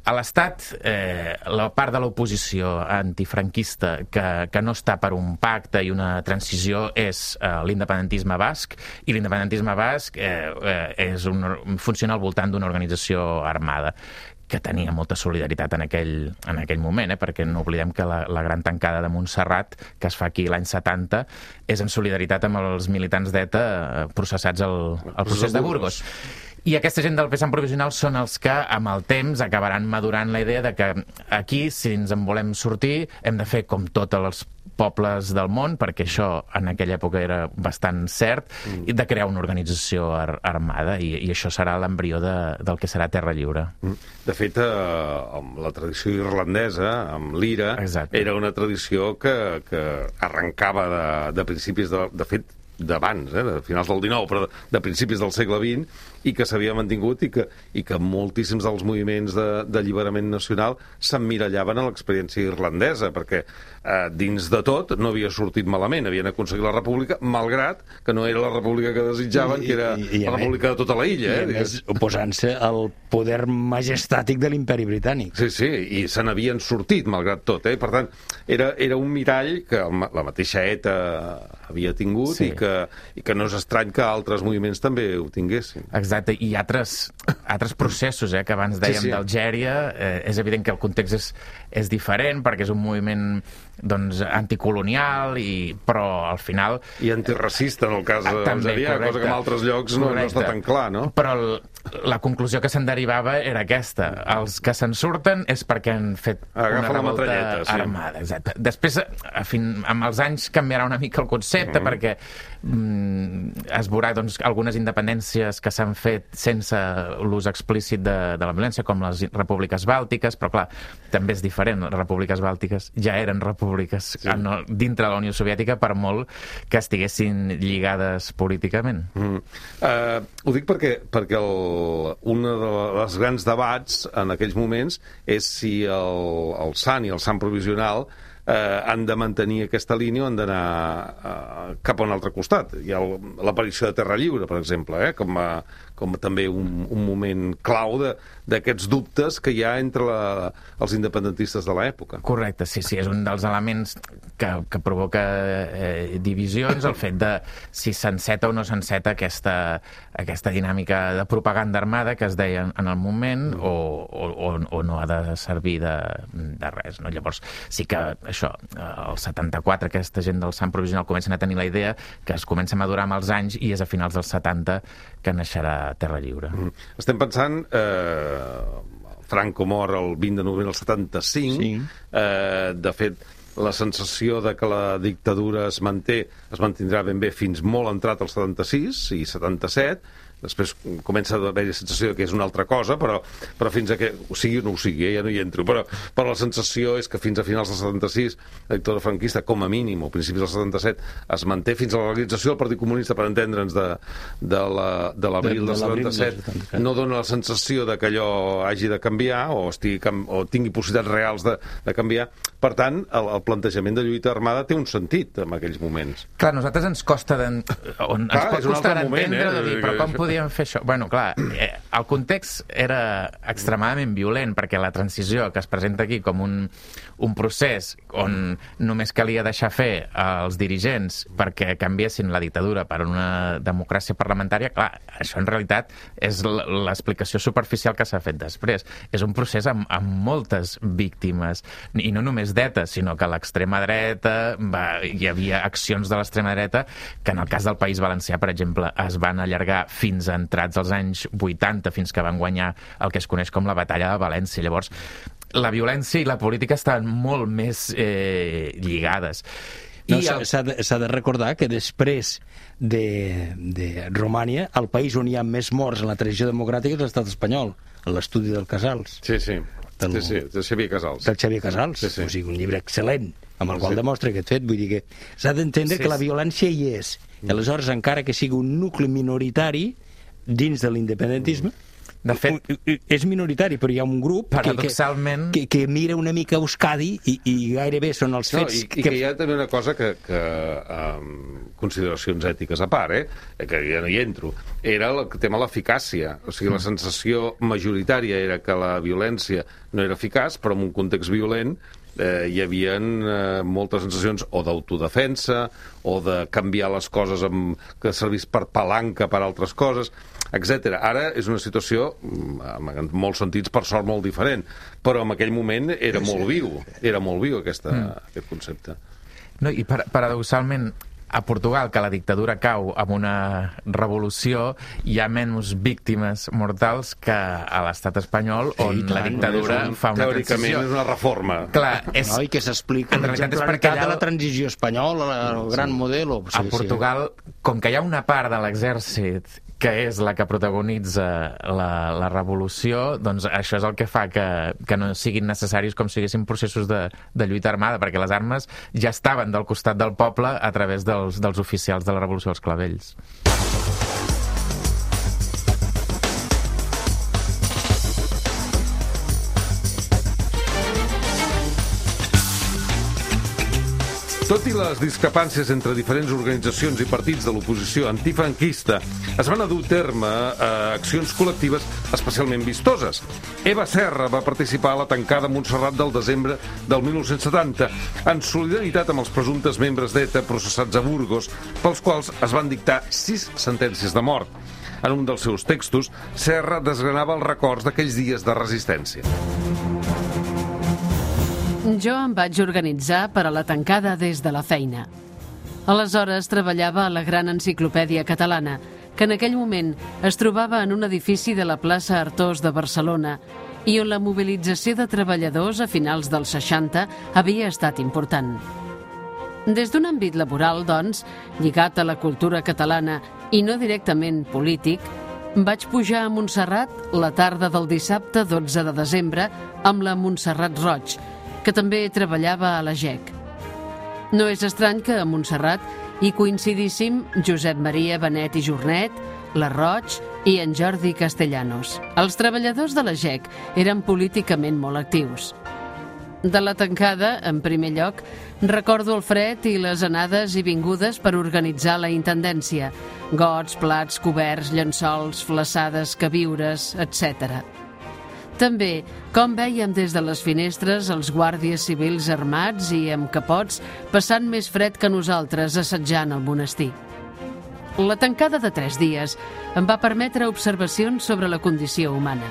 a l'Estat, eh, la part de l'oposició antifranquista que, que no està per un pacte i una transició és eh, l'independentisme basc, i l'independentisme basc eh, eh, és un, funciona al voltant d'una organització armada que tenia molta solidaritat en aquell, en aquell moment, eh? Perquè no oblidem que la, la gran tancada de Montserrat, que es fa aquí l'any setanta, és en solidaritat amb els militants d'ETA processats al, al procés de Burgos. I aquesta gent del Pesant provisional són els que, amb el temps, acabaran madurant la idea de que aquí, si ens en volem sortir, hem de fer com tots els pobles del món, perquè això en aquella època era bastant cert, mm. i de crear una organització ar armada, i, i això serà l'embrió de, del que serà Terra Lliure. Mm.
De fet, eh, amb la tradició irlandesa, amb l'Ira, era una tradició que, que arrencava de, de principis, de, de fet, d'abans, eh, de finals del dinou, però de, de principis del segle vint, i que s'havia mantingut i que, i que moltíssims dels moviments d'alliberament de, nacional s'emmirallaven a l'experiència irlandesa, perquè eh, dins de tot no havia sortit malament, havien aconseguit la república, malgrat que no era la república que desitjaven, I, que era i, i, la república de tota la illa.
I,
eh,
a més, oposant-se al poder majestàtic de l'imperi britànic.
Sí, sí, i se n'havien sortit, malgrat tot. Eh? Per tant, era, era un mirall que la mateixa ETA havia tingut, sí. i, que, i que no és estrany que altres moviments també ho tinguessin.
Exacte, i altres, altres processos, eh, que abans dèiem sí, sí. d'Algèria, eh, és evident que el context és, és diferent, perquè és un moviment doncs, anticolonial, i, però al final...
I antiracista, en el cas d'Algèria, cosa que en altres llocs no, no està tan clar, no?
Però el, la conclusió que se'n derivava era aquesta. Els que se'n surten és perquè han fet
Agafa
una revolta
sí.
armada. Exacte. Després, a fin, amb els anys, canviarà una mica el concepte, mm. perquè mm, es veurà doncs, algunes independències que s'han fet sense l'ús explícit de, de la violència, com les repúbliques bàltiques, però clar, també és diferent. Les repúbliques bàltiques ja eren repúbliques sí. en, dintre de la Unió Soviètica, per molt que estiguessin lligades políticament.
Mm. Uh, ho dic perquè, perquè el, un dels grans debats en aquells moments és si el, el S A N i el S A N provisional eh, han de mantenir aquesta línia o han d'anar eh, cap a un altre costat. Hi ha l'aparició de Terra Lliure, per exemple, eh, com, a, com també un, un moment clau d'aquests dubtes que hi ha entre la, els independentistes de l'època.
Correcte, sí, sí, és un dels elements que, que provoca eh, divisions, el fet de si s'enceta o no s'enceta aquesta, aquesta dinàmica de propaganda armada que es deia en el moment, o, o, o no ha de servir de, de res, no? Llavors, sí que això, el setanta-quatre, aquesta gent del S A N provisional comencen a tenir la idea que es comença a madurar amb els anys, i és a finals dels setanta que naixerà Terra Lliure. Mm.
Estem pensant... Eh, Franco mor el vint de novembre del setanta-cinc. Sí. Eh, de fet, la sensació de que la dictadura es manté, es mantindrà ben bé fins molt entrat al setanta-sis i setanta-set. Després comença a haver-hi la sensació que és una altra cosa, però, però fins a que... O sigui o no ho sigui, eh? Ja no hi entro. Però, però la sensació és que fins a finals del setanta-sis la dictadura franquista, com a mínim, o principis del setanta-set, es manté fins a la realització del Partit Comunista, per entendre'ns, de, de l'abril del setanta-set. No dona la sensació de que allò hagi de canviar o, estigui, o tingui possibilitats reals de, de canviar. Per tant, el, el plantejament de lluita armada té un sentit en aquells moments.
Clar, a nosaltres ens costa on ens pot costar entendre
eh?
de dir, però com podíem fer això? Bueno, clar, eh, el context era extremadament violent, perquè la transició que es presenta aquí com un, un procés on només calia deixar fer als dirigents perquè canviessin la dictadura per una democràcia parlamentària, clar, això en realitat és l'explicació superficial que s'ha fet després. És un procés amb, amb moltes víctimes, i no només d'ETA, sinó que a l'extrema dreta va, hi havia accions de l'extrema dreta que en el cas del País Valencià, per exemple, es van allargar fins a entrats als anys vuitanta, fins que van guanyar el que es coneix com la Batalla de València. Llavors, la violència i la política estaven molt més eh, lligades.
No, s'ha de, de recordar que després de, de Romània, el país on hi ha més morts en la tradició democràtica és l'estat espanyol, l'estudi del Casals.
Sí, sí,
del,
sí, sí, del Xavier Casals.
Del Xavier Casals, sí, sí. O sigui, un llibre excel·lent, amb el qual sí. demostra aquest fet. Vull dir que s'ha d'entendre sí, que la violència hi és. I aleshores, encara que sigui un nucli minoritari dins de l'independentisme, de fet, és minoritari, però hi ha un grup
paradoxalment...
que, que, que mira una mica Euskadi i, i gairebé són els fets...
No, i, i que hi ha també una cosa que, que um, consideracions ètiques a part, eh, que ja no hi entro, era el tema de l'eficàcia. O sigui, la sensació majoritària era que la violència no era eficaç, però en un context violent eh, hi havia eh, moltes sensacions o d'autodefensa o de canviar les coses amb, que servís per palanca per altres coses, etcètera. Ara és una situació, en molts sentits, per sort, molt diferent, però en aquell moment era molt viu, era molt viu aquesta, mm. aquest concepte.
No, i par paradoxalment, a Portugal, que la dictadura cau amb una revolució, hi ha menys víctimes mortals que a l'estat espanyol, on sí, la dictadura un, fa una transició.
Teòricament és una reforma.
Clar, és... No, i que s'explica l'exemplaritat de la transició espanyola, el sí. gran model... O...
A sí, Portugal, sí. com que hi ha una part de l'exèrcit que és la que protagonitza la, la revolució, doncs això és el que fa que, que no siguin necessaris com siguessin processos de, de lluita armada, perquè les armes ja estaven del costat del poble a través dels, dels oficials de la revolució dels clavells.
Tot i les discrepàncies entre diferents organitzacions i partits de l'oposició antifranquista, es van a dur a terme eh, accions col·lectives especialment vistoses. Eva Serra va participar a la tancada a Montserrat del desembre del mil nou-cents setanta, en solidaritat amb els presumptes membres d'ETA processats a Burgos, pels quals es van dictar sis sentències de mort. En un dels seus textos, Serra desgranava els records d'aquells dies de resistència.
Jo em vaig organitzar per a la tancada des de la feina. Aleshores treballava a la Gran Enciclopèdia Catalana, que en aquell moment es trobava en un edifici de la plaça Artós de Barcelona i on la mobilització de treballadors a finals dels seixanta havia estat important. Des d'un àmbit laboral, doncs, lligat a la cultura catalana i no directament polític, vaig pujar a Montserrat la tarda del dissabte dotze de desembre amb la Montserrat Roig, que també treballava a la G E C. No és estrany que a Montserrat hi coincidíssim Josep Maria Benet i Jornet, la Roig i en Jordi Castellanos. Els treballadors de la G E C eren políticament molt actius. De la tancada, en primer lloc, recordo el fred i les anades i vingudes per organitzar la intendència. Gots, plats, coberts, llençols, flaçades, queviures, etcètera. També, com vèiem des de les finestres els guàrdies civils armats i amb capots passant més fred que nosaltres assetjant el monestir. La tancada de tres dies em va permetre observacions sobre la condició humana.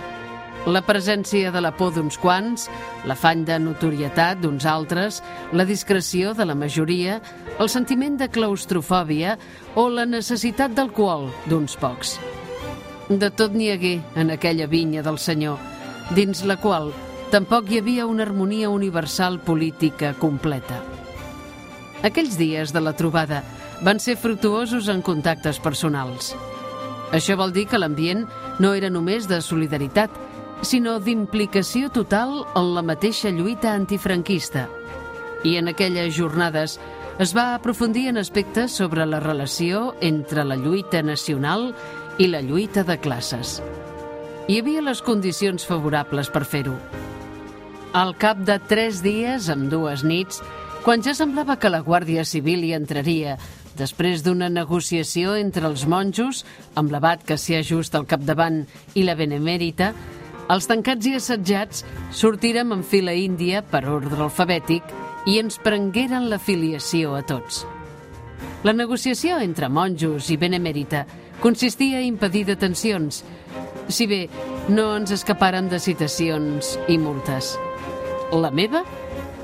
La presència de la por d'uns quants, l'afany de notorietat d'uns altres, la discreció de la majoria, el sentiment de claustrofòbia o la necessitat d'alcohol d'uns pocs. De tot n'hi hagué en aquella vinya del Senyor, dins la qual tampoc hi havia una harmonia universal política completa. Aquells dies de la trobada van ser fructuosos en contactes personals. Això vol dir que l'ambient no era només de solidaritat, sinó d'implicació total en la mateixa lluita antifranquista. I en aquelles jornades es va aprofundir en aspectes sobre la relació entre la lluita nacional i la lluita de classes. Hi havia les condicions favorables per fer-ho. Al cap de tres dies, amb dues nits, quan ja semblava que la Guàrdia Civil hi entraria, després d'una negociació entre els monjos, amb l'abat Cassià Just al capdavant i la Benemèrita, els tancats i assetjats sortirem en fila índia per ordre alfabètic i ens prengueren la filiació a tots. La negociació entre monjos i Benemèrita consistia a impedir detencions, si bé no ens escaparen de citacions i multes. La meva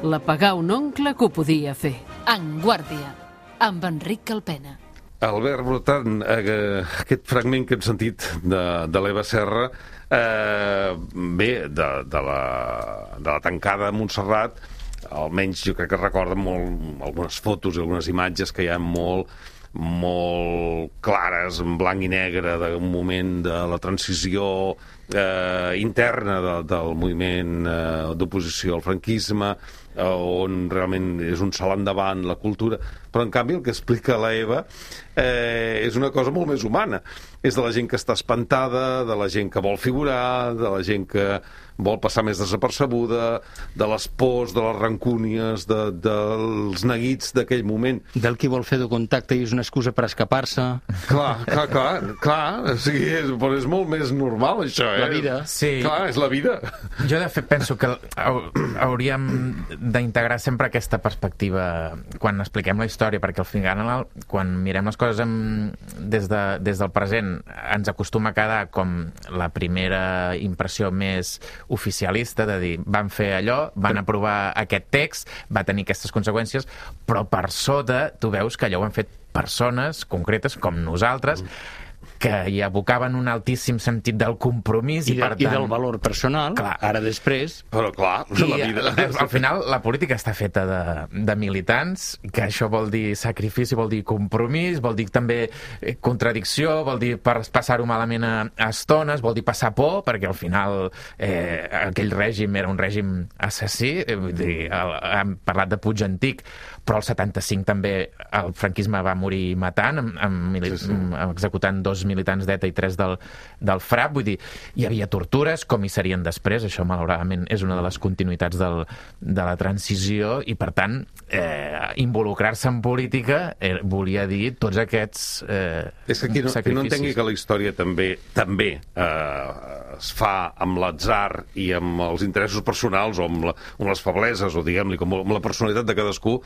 la pagà un oncle que ho podia fer.
En guàrdia, amb Enric Calpena.
Albert Brotan, eh, aquest fragment que hem sentit de, de l'Eva Serra, eh, bé, de, de, la, de la tancada a Montserrat, almenys jo crec que recorden molt algunes fotos i algunes imatges que hi ha molt molt clares, en blanc i negre, d'un moment de la transició eh, interna de, del moviment eh, d'oposició al franquisme, eh, on realment és un salt endavant la cultura, però en canvi el que explica la Eva eh, és una cosa molt més humana. És de la gent que està espantada, de la gent que vol figurar, de la gent que vol passar més desapercebuda, de les pors, de les rancúnies, de, dels neguits d'aquell moment.
Del qui vol fer de contacte i és una excusa per escapar-se.
Clar, clar, clar, clar. O sigui, és, però és molt més normal, això, eh?
La vida.
Sí.
Clar, és la vida.
Jo, de fet, penso que hauríem d'integrar sempre aquesta perspectiva quan expliquem la història, perquè al final, quan mirem les coses amb, des, de, des del present, ens acostuma a quedar com la primera impressió més oficialista, de dir, van fer allò, van aprovar aquest text, va tenir aquestes conseqüències, però per sota tu veus que allò ho han fet persones concretes com nosaltres, que hi abocaven un altíssim sentit del compromís i,
I, de,
per tant...
i del valor personal, clar. Ara després...
Però clar,
I,
la vida...
Al final, la política està feta de, de militants, que això vol dir sacrifici, vol dir compromís, vol dir també contradicció, vol dir per passar-ho malament a, a estones, vol dir passar por, perquè al final eh, aquell règim era un règim assassí, eh, vull dir, el, hem parlat de Puig Antic, però el setanta-cinc també el franquisme va morir matant, amb, amb, sí, sí. executant dos militants d'ETA i tres del, del FRAP, vull dir, hi havia tortures, com hi serien després, això malauradament és una de les continuïtats del, de la transició, i per tant, eh, involucrar-se en política eh, volia dir tots aquests eh,
és que qui no, qui no entengui que la història també també eh, es fa amb l'atzar i amb els interessos personals o amb, la, amb les febleses, o diguem-li, com amb la personalitat de cadascú,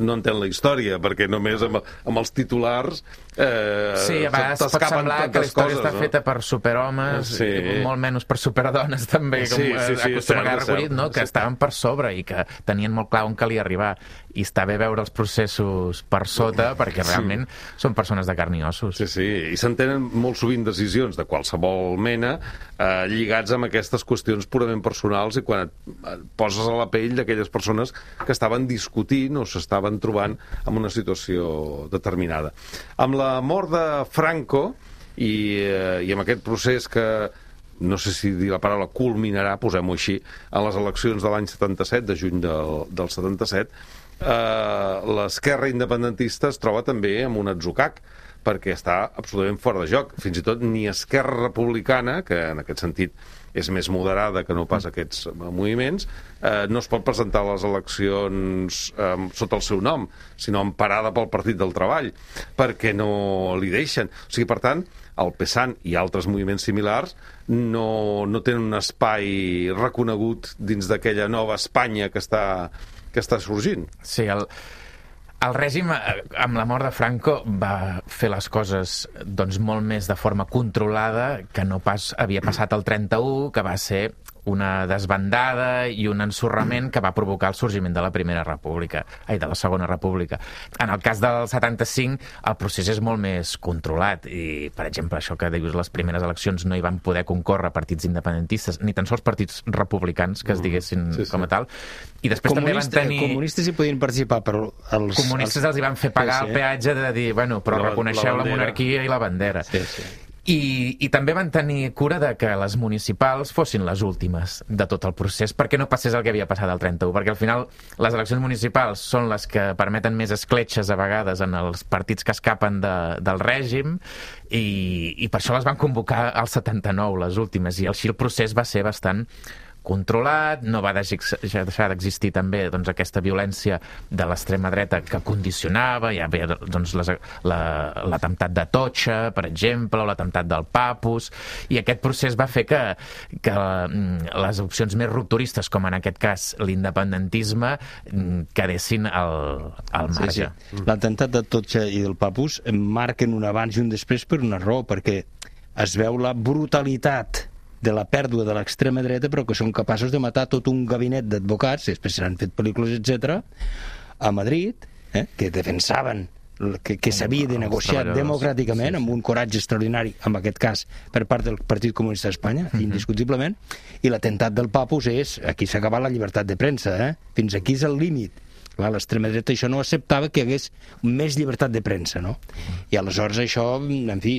no entén la història, perquè només amb, amb els titulars eh,
sí, a vegades pot semblar que la història
coses,
està
no?
feta per superhomes, sí. molt menys per superdones també, com sí, sí, sí, acostuma a recollit, no? que sí. estaven per sobre i que tenien molt clar on calia arribar, i està bé veure els processos per sota, perquè realment sí. són persones de carn i ossos.
Sí, sí, i s'entenen molt sovint decisions de qualsevol mena eh, lligats amb aquestes qüestions purament personals, i quan et, et poses a la pell d'aquelles persones que estaven discutint o s'estaven trobant en una situació determinada. Amb la mort de Franco i, eh, i amb aquest procés que no sé si dir la paraula culminarà, posem-ho així, en les eleccions de l'any setanta-set, de juny del, del setanta-set, eh, l'esquerra independentista es troba també amb un atzucac, perquè està absolutament fora de joc. Fins i tot ni Esquerra Republicana, que en aquest sentit és més moderada que no pas aquests moviments, eh, no es pot presentar a les eleccions eh, sota el seu nom, sinó emparada pel Partit del Treball, perquè no li deixen. O sigui, per tant, el PSAN i altres moviments similars no, no tenen un espai reconegut dins d'aquella nova Espanya que està, que està sorgint.
Sí, el... El règim, amb la mort de Franco, va fer les coses doncs, molt més de forma controlada que no pas havia passat el trenta-u, que va ser una desbandada i un ensorrament que va provocar el sorgiment de la Primera República, ai, de la Segona República. En el cas del setanta-cinc, el procés és molt més controlat i, per exemple, això que dius, les primeres eleccions no hi van poder concórrer partits independentistes, ni tan sols partits republicans que es diguessin sí, sí. com a tal. I després
Comunista,
també van tenir...
Comunistes hi podien participar, però els...
Comunistes els hi van fer pagar sí, sí. el peatge de dir, bueno, però la, reconeixeu la, la monarquia i la bandera.
Sí, sí.
I, i també van tenir cura de que les municipals fossin les últimes de tot el procés, perquè no passés el que havia passat al trenta-u, perquè al final les eleccions municipals són les que permeten més escletxes a vegades en els partits que escapen de, del règim, i, i per això les van convocar al setanta-nou, les últimes, i així el procés va ser bastant controlat, no va deixar d'existir també doncs, aquesta violència de l'extrema dreta que condicionava, hi havia doncs, l'atemptat de Totxa, per exemple, o l'atemptat del Papus, i aquest procés va fer que, que les opcions més rupturistes, com en aquest cas l'independentisme, quedessin al, al marge.
Sí, sí. L'atemptat de Totxa i del Papus marquen un abans i un després per una raó, perquè es veu la brutalitat de la pèrdua de l'extrema dreta, però que són capaços de matar tot un gabinet d'advocats, després s'han fet pel·lícules, etcètera, a Madrid, eh, que defensaven que, que s'havia de negociar democràticament, sí, sí. amb un coratge extraordinari, en aquest cas, per part del Partit Comunista d'Espanya, uh-huh. indiscutiblement, i l'atemptat del Papus és, aquí s'ha acabat la llibertat de premsa, eh? Fins aquí és el límit. L'extrema dreta això no acceptava que hi hagués més llibertat de premsa, no? I aleshores això, en fi,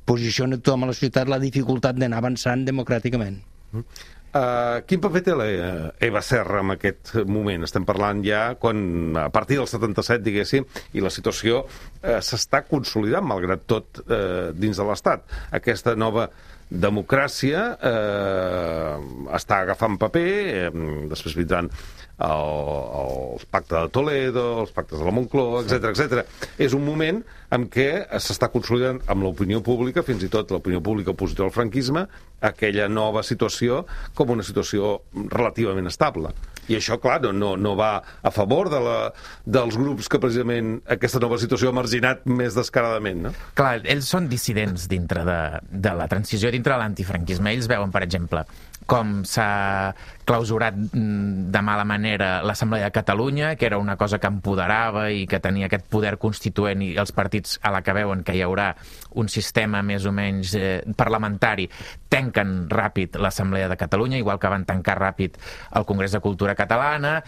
posiciona tothom a la societat la dificultat d'anar avançant democràticament.
Uh-huh. Uh, quin paper té l'Eva Serra en aquest moment? Estem parlant ja quan, a partir del setanta-set, diguéssim, i la situació uh, s'està consolidant, malgrat tot, uh, dins de l'Estat. Aquesta nova democràcia eh, està agafant paper, eh, després vindran el, el pacte de Toledo, els pactes de la Moncloa, etcètera, etcètera. És un moment en què s'està consolidant amb l'opinió pública, fins i tot l'opinió pública opositora al franquisme, aquella nova situació com una situació relativament estable. I això, clar, no, no, no va a favor de la, dels grups que precisament aquesta nova situació ha marginat més descaradament, no?
Clar, ells són dissidents dintre de, de la transició, dintre de l'antifranquisme. Ells veuen, per exemple, com s'ha clausurat de mala manera l'Assemblea de Catalunya, que era una cosa que empoderava i que tenia aquest poder constituent, i els partits, a la que veuen que hi haurà un sistema més o menys eh, parlamentari, tanquen ràpid l'Assemblea de Catalunya, igual que van tancar ràpid el Congrés de Cultura Catalana.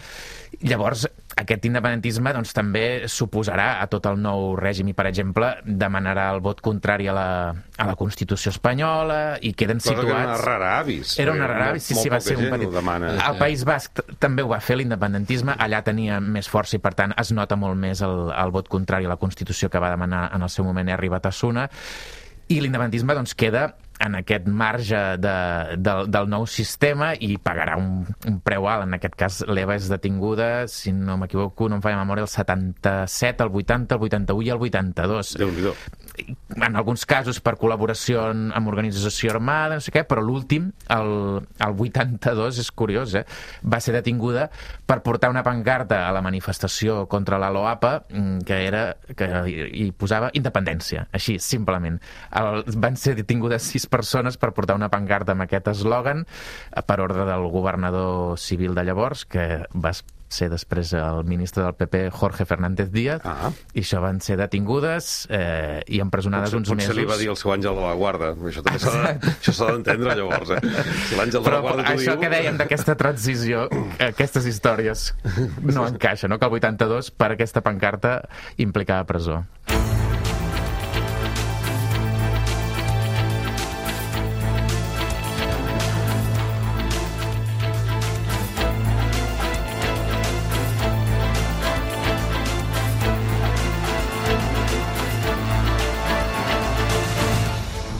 Llavors, aquest independentisme doncs, també s'oposarà a tot el nou règim i, per exemple, demanarà el vot contrari a la, a la Constitució espanyola i queden
Cosa
situats...
Cosa que era una rara avis.
Era una rara avis, sí, sí, va ser un petit... El País Basc també ho va fer, l'independentisme, allà tenia més força i, per tant, es nota molt més el, el vot contrari a la Constitució que va demanar en el seu moment Herri Batasuna, i l'independentisme doncs, queda en aquest marge de, de, del nou sistema i pagarà un, un preu alt. En aquest cas, l'Eva és detinguda, si no m'equivoco, no em falla memòria, el setanta-set, el vuitanta, el vuitanta-u i el vuitanta-dos.
Déu-n'hi-do.
En alguns casos per col·laboració amb organització armada, no sé què, però l'últim, el, el vuitanta-dos, és curiós, eh? Va ser detinguda per portar una pancarta a la manifestació contra la LOAPA que era, que hi posava independència, així, simplement. El, van ser detingudes sis persones per portar una pancarta amb aquest eslògan per ordre del governador civil de llavors, que va ser després el ministre del P P, Jorge Fernández Díaz, ah. i això van ser detingudes eh, i empresonades
potser,
uns
potser
mesos.
Potser li va dir el seu àngel de la guarda. Això també s'ha d'entendre, llavors. Eh? Si l'àngel de la guarda t'ho diu...
Això que dèiem d'aquesta transició, aquestes històries no encaixen, no? Que el vuitanta-dos, per aquesta pancarta, implicava presó.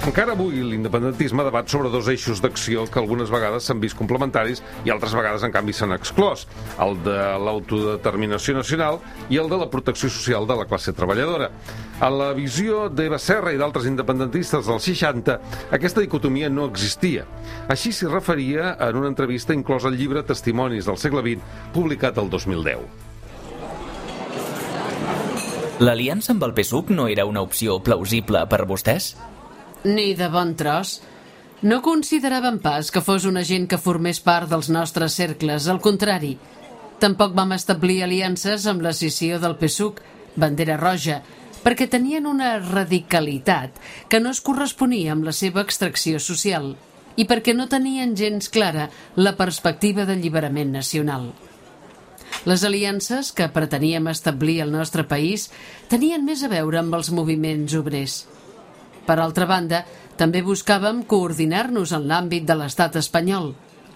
Encara avui l'independentisme debat sobre dos eixos d'acció que algunes vegades s'han vist complementaris i altres vegades, en canvi, s'han exclòs. El de l'autodeterminació nacional i el de la protecció social de la classe treballadora. A la visió d'Eva Serra i d'altres independentistes dels seixanta, aquesta dicotomia no existia. Així s'hi referia en una entrevista inclosa al llibre Testimonis del segle vint, publicat el dos mil deu.
L'aliança amb el P S U C no era una opció plausible per vostès?
Ni de bon tros. No consideràvem pas que fos una gent que formés part dels nostres cercles, al contrari. Tampoc vam establir aliances amb la escissió del P S U C, bandera roja, perquè tenien una radicalitat que no es corresponia amb la seva extracció social i perquè no tenien gens clara la perspectiva d'alliberament nacional. Les aliances que preteníem establir al nostre país tenien més a veure amb els moviments obrers. Per altra banda, també buscàvem coordinar-nos en l'àmbit de l'estat espanyol,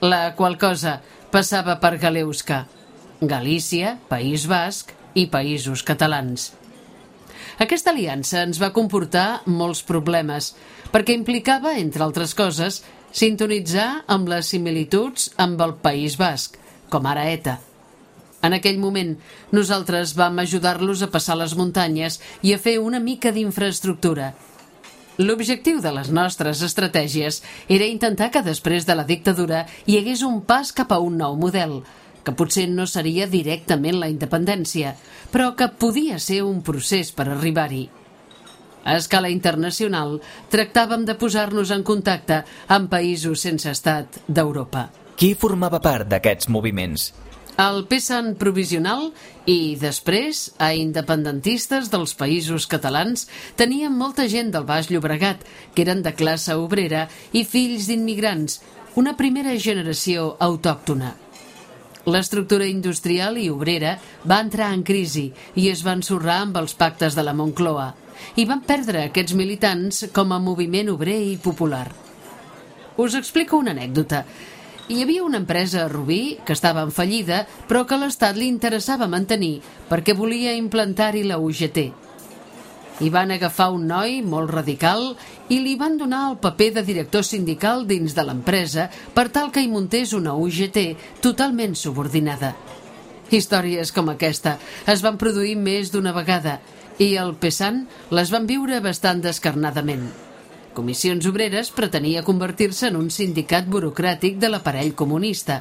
la qual cosa passava per Galeusca, Galícia, País Basc i Països Catalans. Aquesta aliança ens va comportar molts problemes, perquè implicava, entre altres coses, sintonitzar amb les similituds amb el País Basc, com ara ETA. En aquell moment, nosaltres vam ajudar-los a passar les muntanyes i a fer una mica d'infraestructura. L'objectiu de les nostres estratègies era intentar que després de la dictadura hi hagués un pas cap a un nou model, que potser no seria directament la independència, però que podia ser un procés per arribar-hi. A escala internacional, tractàvem de posar-nos en contacte amb països sense estat d'Europa.
Qui formava part d'aquests moviments?
al P SAN provisional i, després, a independentistes dels països catalans tenien molta gent del Baix Llobregat, que eren de classe obrera i fills d'immigrants, una primera generació autòctona. L'estructura industrial i obrera va entrar en crisi i es va ensorrar amb els pactes de la Moncloa, i van perdre aquests militants com a moviment obrer i popular. Us explico una anècdota. Hi havia una empresa a Rubí que estava en fallida, però que a l'Estat li interessava mantenir perquè volia implantar-hi la U G T. Hi van agafar un noi molt radical i li van donar el paper de director sindical dins de l'empresa per tal que hi muntés una U G T totalment subordinada. Històries com aquesta es van produir més d'una vegada i el P SAN les van viure bastant descarnadament. Comissions Obreres pretenia convertir-se en un sindicat burocràtic de l'aparell comunista,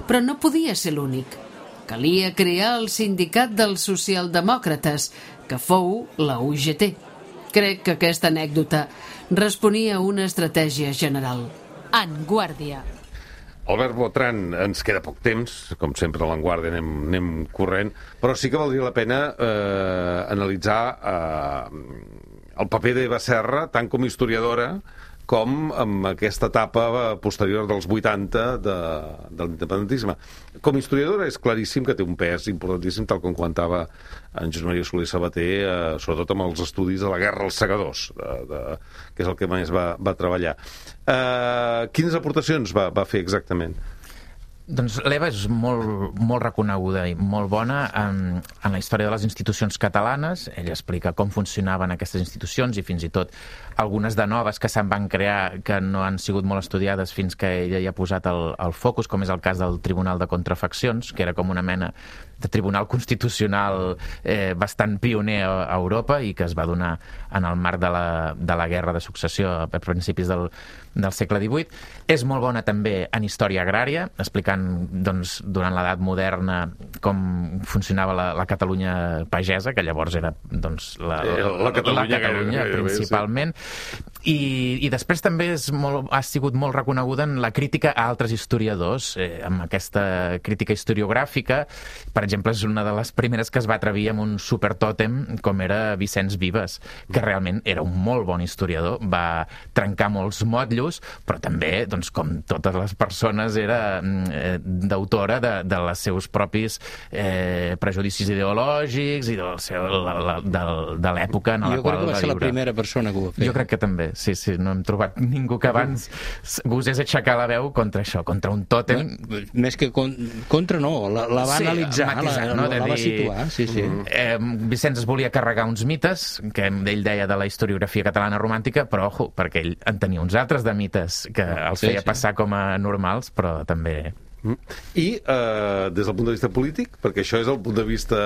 però no podia ser l'únic. Calia crear el sindicat dels socialdemòcrates, que fou la U G T. Crec que aquesta anècdota responia a una estratègia general.
En Guàrdia.
Albert Botran, ens queda poc temps, com sempre a l'Enguàrdia anem, anem corrent, però sí que valdria la pena eh, analitzar eh, el paper d'Eva Serra, tant com a historiadora com amb aquesta etapa posterior dels vuitanta de, de l'independentisme. Com a historiadora és claríssim que té un pes importantíssim, tal com comentava en Josep Maria Soler Sabater, eh, sobretot amb els estudis de la Guerra als Segadors, de, de, que és el que més va, va treballar. Eh, quines aportacions va, va fer exactament?
Doncs l'Eva és molt, molt reconeguda i molt bona en, en la història de les institucions catalanes. Ella explica com funcionaven aquestes institucions i fins i tot algunes de noves que se'n van crear que no han sigut molt estudiades fins que ella hi ha posat el, el focus, com és el cas del Tribunal de Contrafaccions, que era com una mena de tribunal constitucional eh, bastant pioner a, a Europa i que es va donar en el marc de la, de la Guerra de Successió a principis del, del segle divuit. És molt bona també en història agrària, explicant doncs, durant l'edat moderna com funcionava la, la Catalunya pagesa, que llavors era doncs, la, la, la Catalunya, la Catalunya gaire, principalment. Sí. I, I després també és molt, ha sigut molt reconeguda en la crítica a altres historiadors, eh, amb aquesta crítica historiogràfica. Per exemple, és una de les primeres que es va atrevir amb un supertòtem com era Vicenç Vives, que realment era un molt bon historiador, va trencar molts motllos, però també, doncs, com totes les persones, era eh, d'autora de, de les seus propis eh, prejudicis ideològics i del seu, la, la, de, de l'època en la
jo
qual va viure. Jo crec que va
ser la primera persona que ho va fer.
Jo crec que també, sí, sí, no hem trobat ningú que abans gosés aixecar la veu contra això, contra un tòtem.
No, més que con, contra no, la, la va sí, analitzar, matisar, la, no? la, la va situar. Sí, sí.
Eh, Vicenç es volia carregar uns mites, que ell deia de la historiografia catalana romàntica, però ojo, perquè ell en tenia uns altres de mites que els feia sí, sí. passar com a normals, però també...
I eh, des del punt de vista polític, perquè això és el punt de vista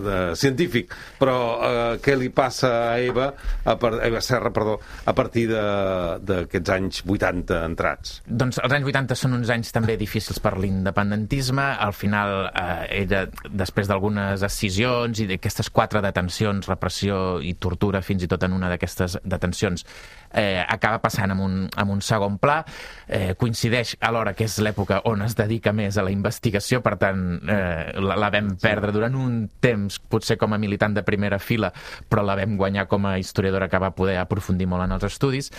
de, científic, però eh, què li passa a Eva, a, per, a Eva Serra, perdó, a partir d'aquests anys vuitanta entrats?
Doncs els anys vuitanta són uns anys també difícils per l'independentisme. Al final, eh, ella, després d'algunes escissions i d'aquestes quatre detencions, repressió i tortura, fins i tot en una d'aquestes detencions, eh, acaba passant en un, en un segon pla. Eh, coincideix alhora que és l'època on es dedica més a la investigació, per tant eh, la, la vam perdre durant un temps, potser com a militant de primera fila, però la vam guanyar com a historiadora que va poder aprofundir molt en els estudis,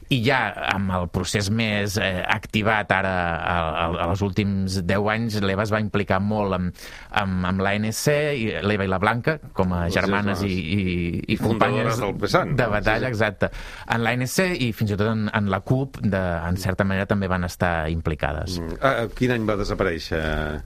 i ja amb el procés més eh, activat ara a, a, a els últims deu anys, l'Eva es va implicar molt amb, amb, amb l'A N C, l'Eva i la Blanca, com a germanes i, i, i companyes de batalla, exacte, en l'A N C i fins i tot en, en la C U P, de, en certa manera també van estar implicades.
Mm. Ah, quin any va desaparèixer?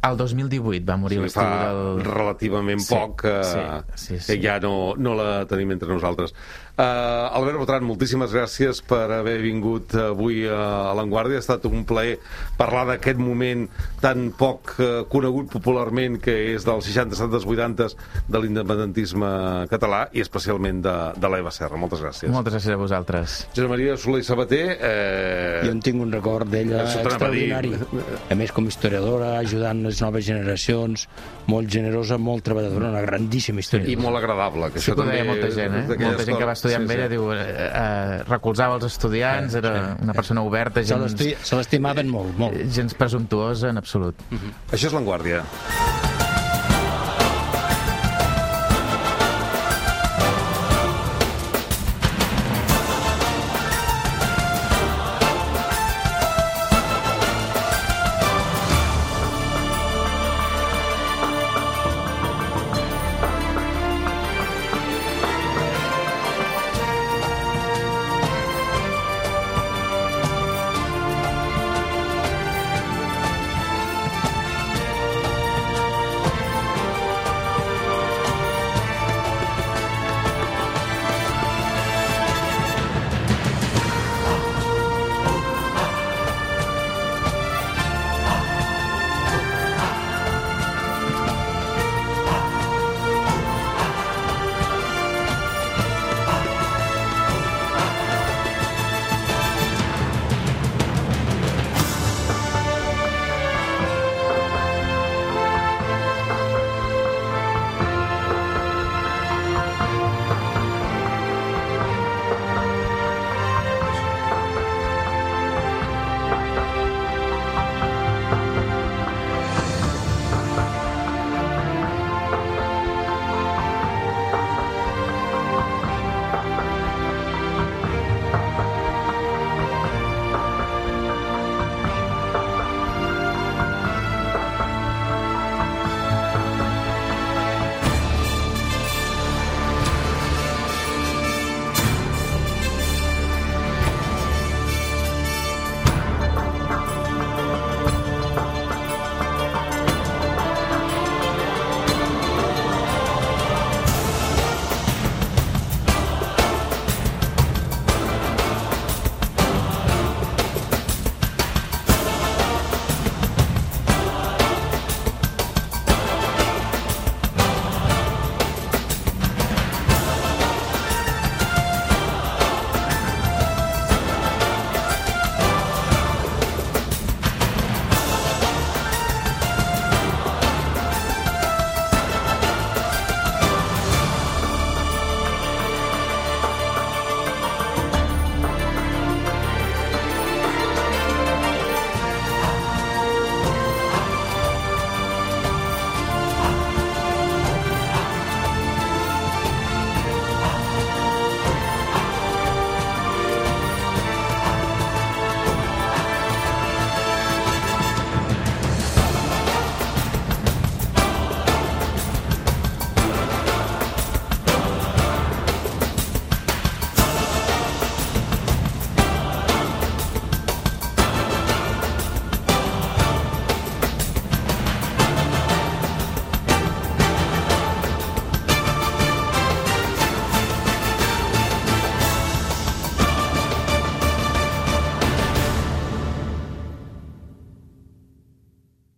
El dos mil divuit va morir
l'estudi del... relativament sí, poc que, sí, sí, sí. que ja no, no la tenim entre nosaltres. Uh, Albert Botran, moltíssimes gràcies per haver vingut avui a l'Enguàrdia. Ha estat un plaer parlar d'aquest moment tan poc uh, conegut popularment, que és dels seixanta, setanta, vuitanta de l'independentisme català i especialment de, de l'Eva Serra. Moltes gràcies.
Moltes gràcies a vosaltres.
Josep Maria Soler Sabater, eh...
jo en tinc un record d'ella extraordinari, a més com historiadora, ajudant les noves generacions, molt generosa, molt treballadora, una grandíssima historiadora.
I molt agradable, que
sí,
això també
deia molta gent, eh? Molta gent que va estudiar sí, amb ella, sí. diu, eh, eh, recolzava els estudiants, era sí. una persona oberta, gens,
se l'estimaven molt, molt.
Gens presumptuosa en absolut.
Uh-huh. Això és l'Enguàrdia.